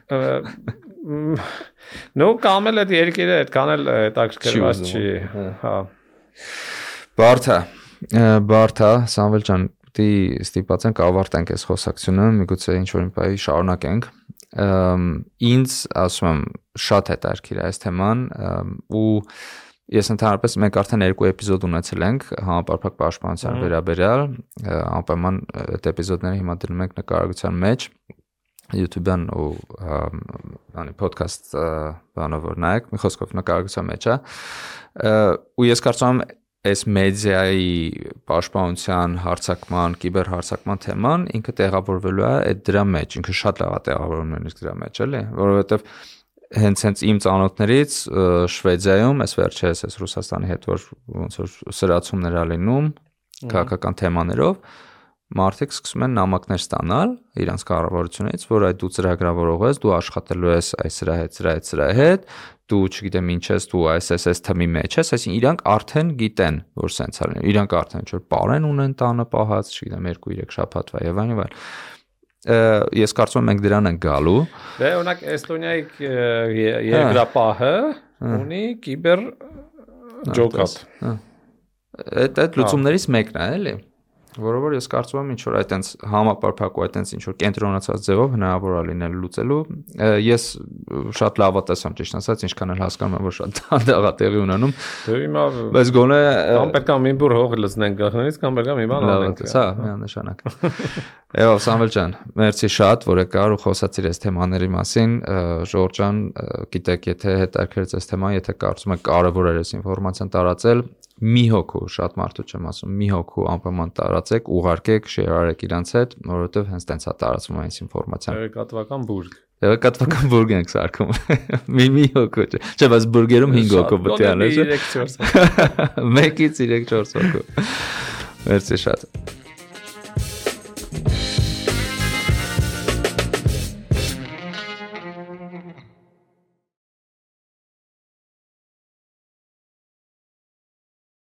Նո, կամ էլ այդ երկիրը այդքան էլ հետաքրքրված չի, հա։ Բարթա, Սամվել ջան, դի ստիպած ենք ավարտենք այս խոսակցությունը, միգուցե ինչ-որ մի շարունակենք։ Ինձ ասում եմ շատ հետաքրքիր է այս թեման ու ես ընդհանրապես մենք արդեն 2 էպիզոդ ունեցել ենք համապարփակ պաշտպանության վերաբերյալ, անպայման այդ էպիզոդները հիմա դնում ենք նկարագրության մեջ YouTube-յան ու անի podcast բանով որ նայեք, մի խոսքով նկարագրության մեջ է։ Ու ես կարծում եմ այս մեդիայի պաշտպանության, հարձակման, կիբերհարձակման թեման ինքը տեղավորվելու է այդ դրա մեջ, ինքը շատ լավ է տեղավորվում նույնիսկ դրա մեջ, էլի, որովհետև հենց իմ ծանոթներից Շվեդիայում, այս վերջերս այս Ռուսաստանի հետ որ ոնց որ սրացումներ ա լինում քաղաքական թեմաներով, մարդիկ սկսում են նամակներ ստանալ իրանց կառավարությունից, որ այդ դու ծրագրավորող ես, դու աշխատելու ես այս սրա հետ, դու չգիտեմ ինչ ես, դու այս թեմի մեջ ես, այսինքն իրանք արդեն գիտեն, որ սենց է լինում, իրանք արդեն ինչ որ պարեն ունեն տանը պահած, չգիտեմ 2-3 շաբաթվա եւ այլն։ Ես կարծում եմ մենք դրան ենք գալու։ Դե օրինակ Էստոնիայի երկրապահը ունի կիբեր ջոկատ։ Այդ լուծումներից մեկն է, էլի։ Որովհետև ես կարծում եմ ինչ որ այտենց համապարփակ ու այտենց ինչ որ կենտրոնացած ձևով հնարավոր է լինել լուծելու։ Ես շատ լավատես եմ ճիշտ ասած, ինչքան էլ հասկանում եմ, որ շատ դանդաղատեղի ունենում։ Դե հիմա բայց գոնե կամ պետք է մի բուր հող լցնենք գախնից, կամ պետք է մի բան անենք։ Հա, միանշանակ։ Եվ Սամվել ջան, մերսի շատ, որ եկար ու խոսացիր այս թեմաների մասին։ Ժորժ ջան, գիտեք, եթե հետաքրքրեց այս թեման, եթե կարծում եք կարևոր է այս ինֆորմացիան տարածել, մի հոգու, շատ մարդու չեմ ասում, մի հոգու անպայման տարածեք, ուղարկեք, շեյրարեք իրանց հետ, որովհետև հենց տենց է տարածվում այս ինֆորմացիան։ Տեղեկատվական բուրգ։ Տեղեկատվական բուրգ ենք սարքում։ Մի հոգու չէ։ Չէ, բայց բուրգերում 5 հոգու պետք է անել։ 3-4 հոգու։ 1-ից 3-4 հոգու։ Մերսի շատ։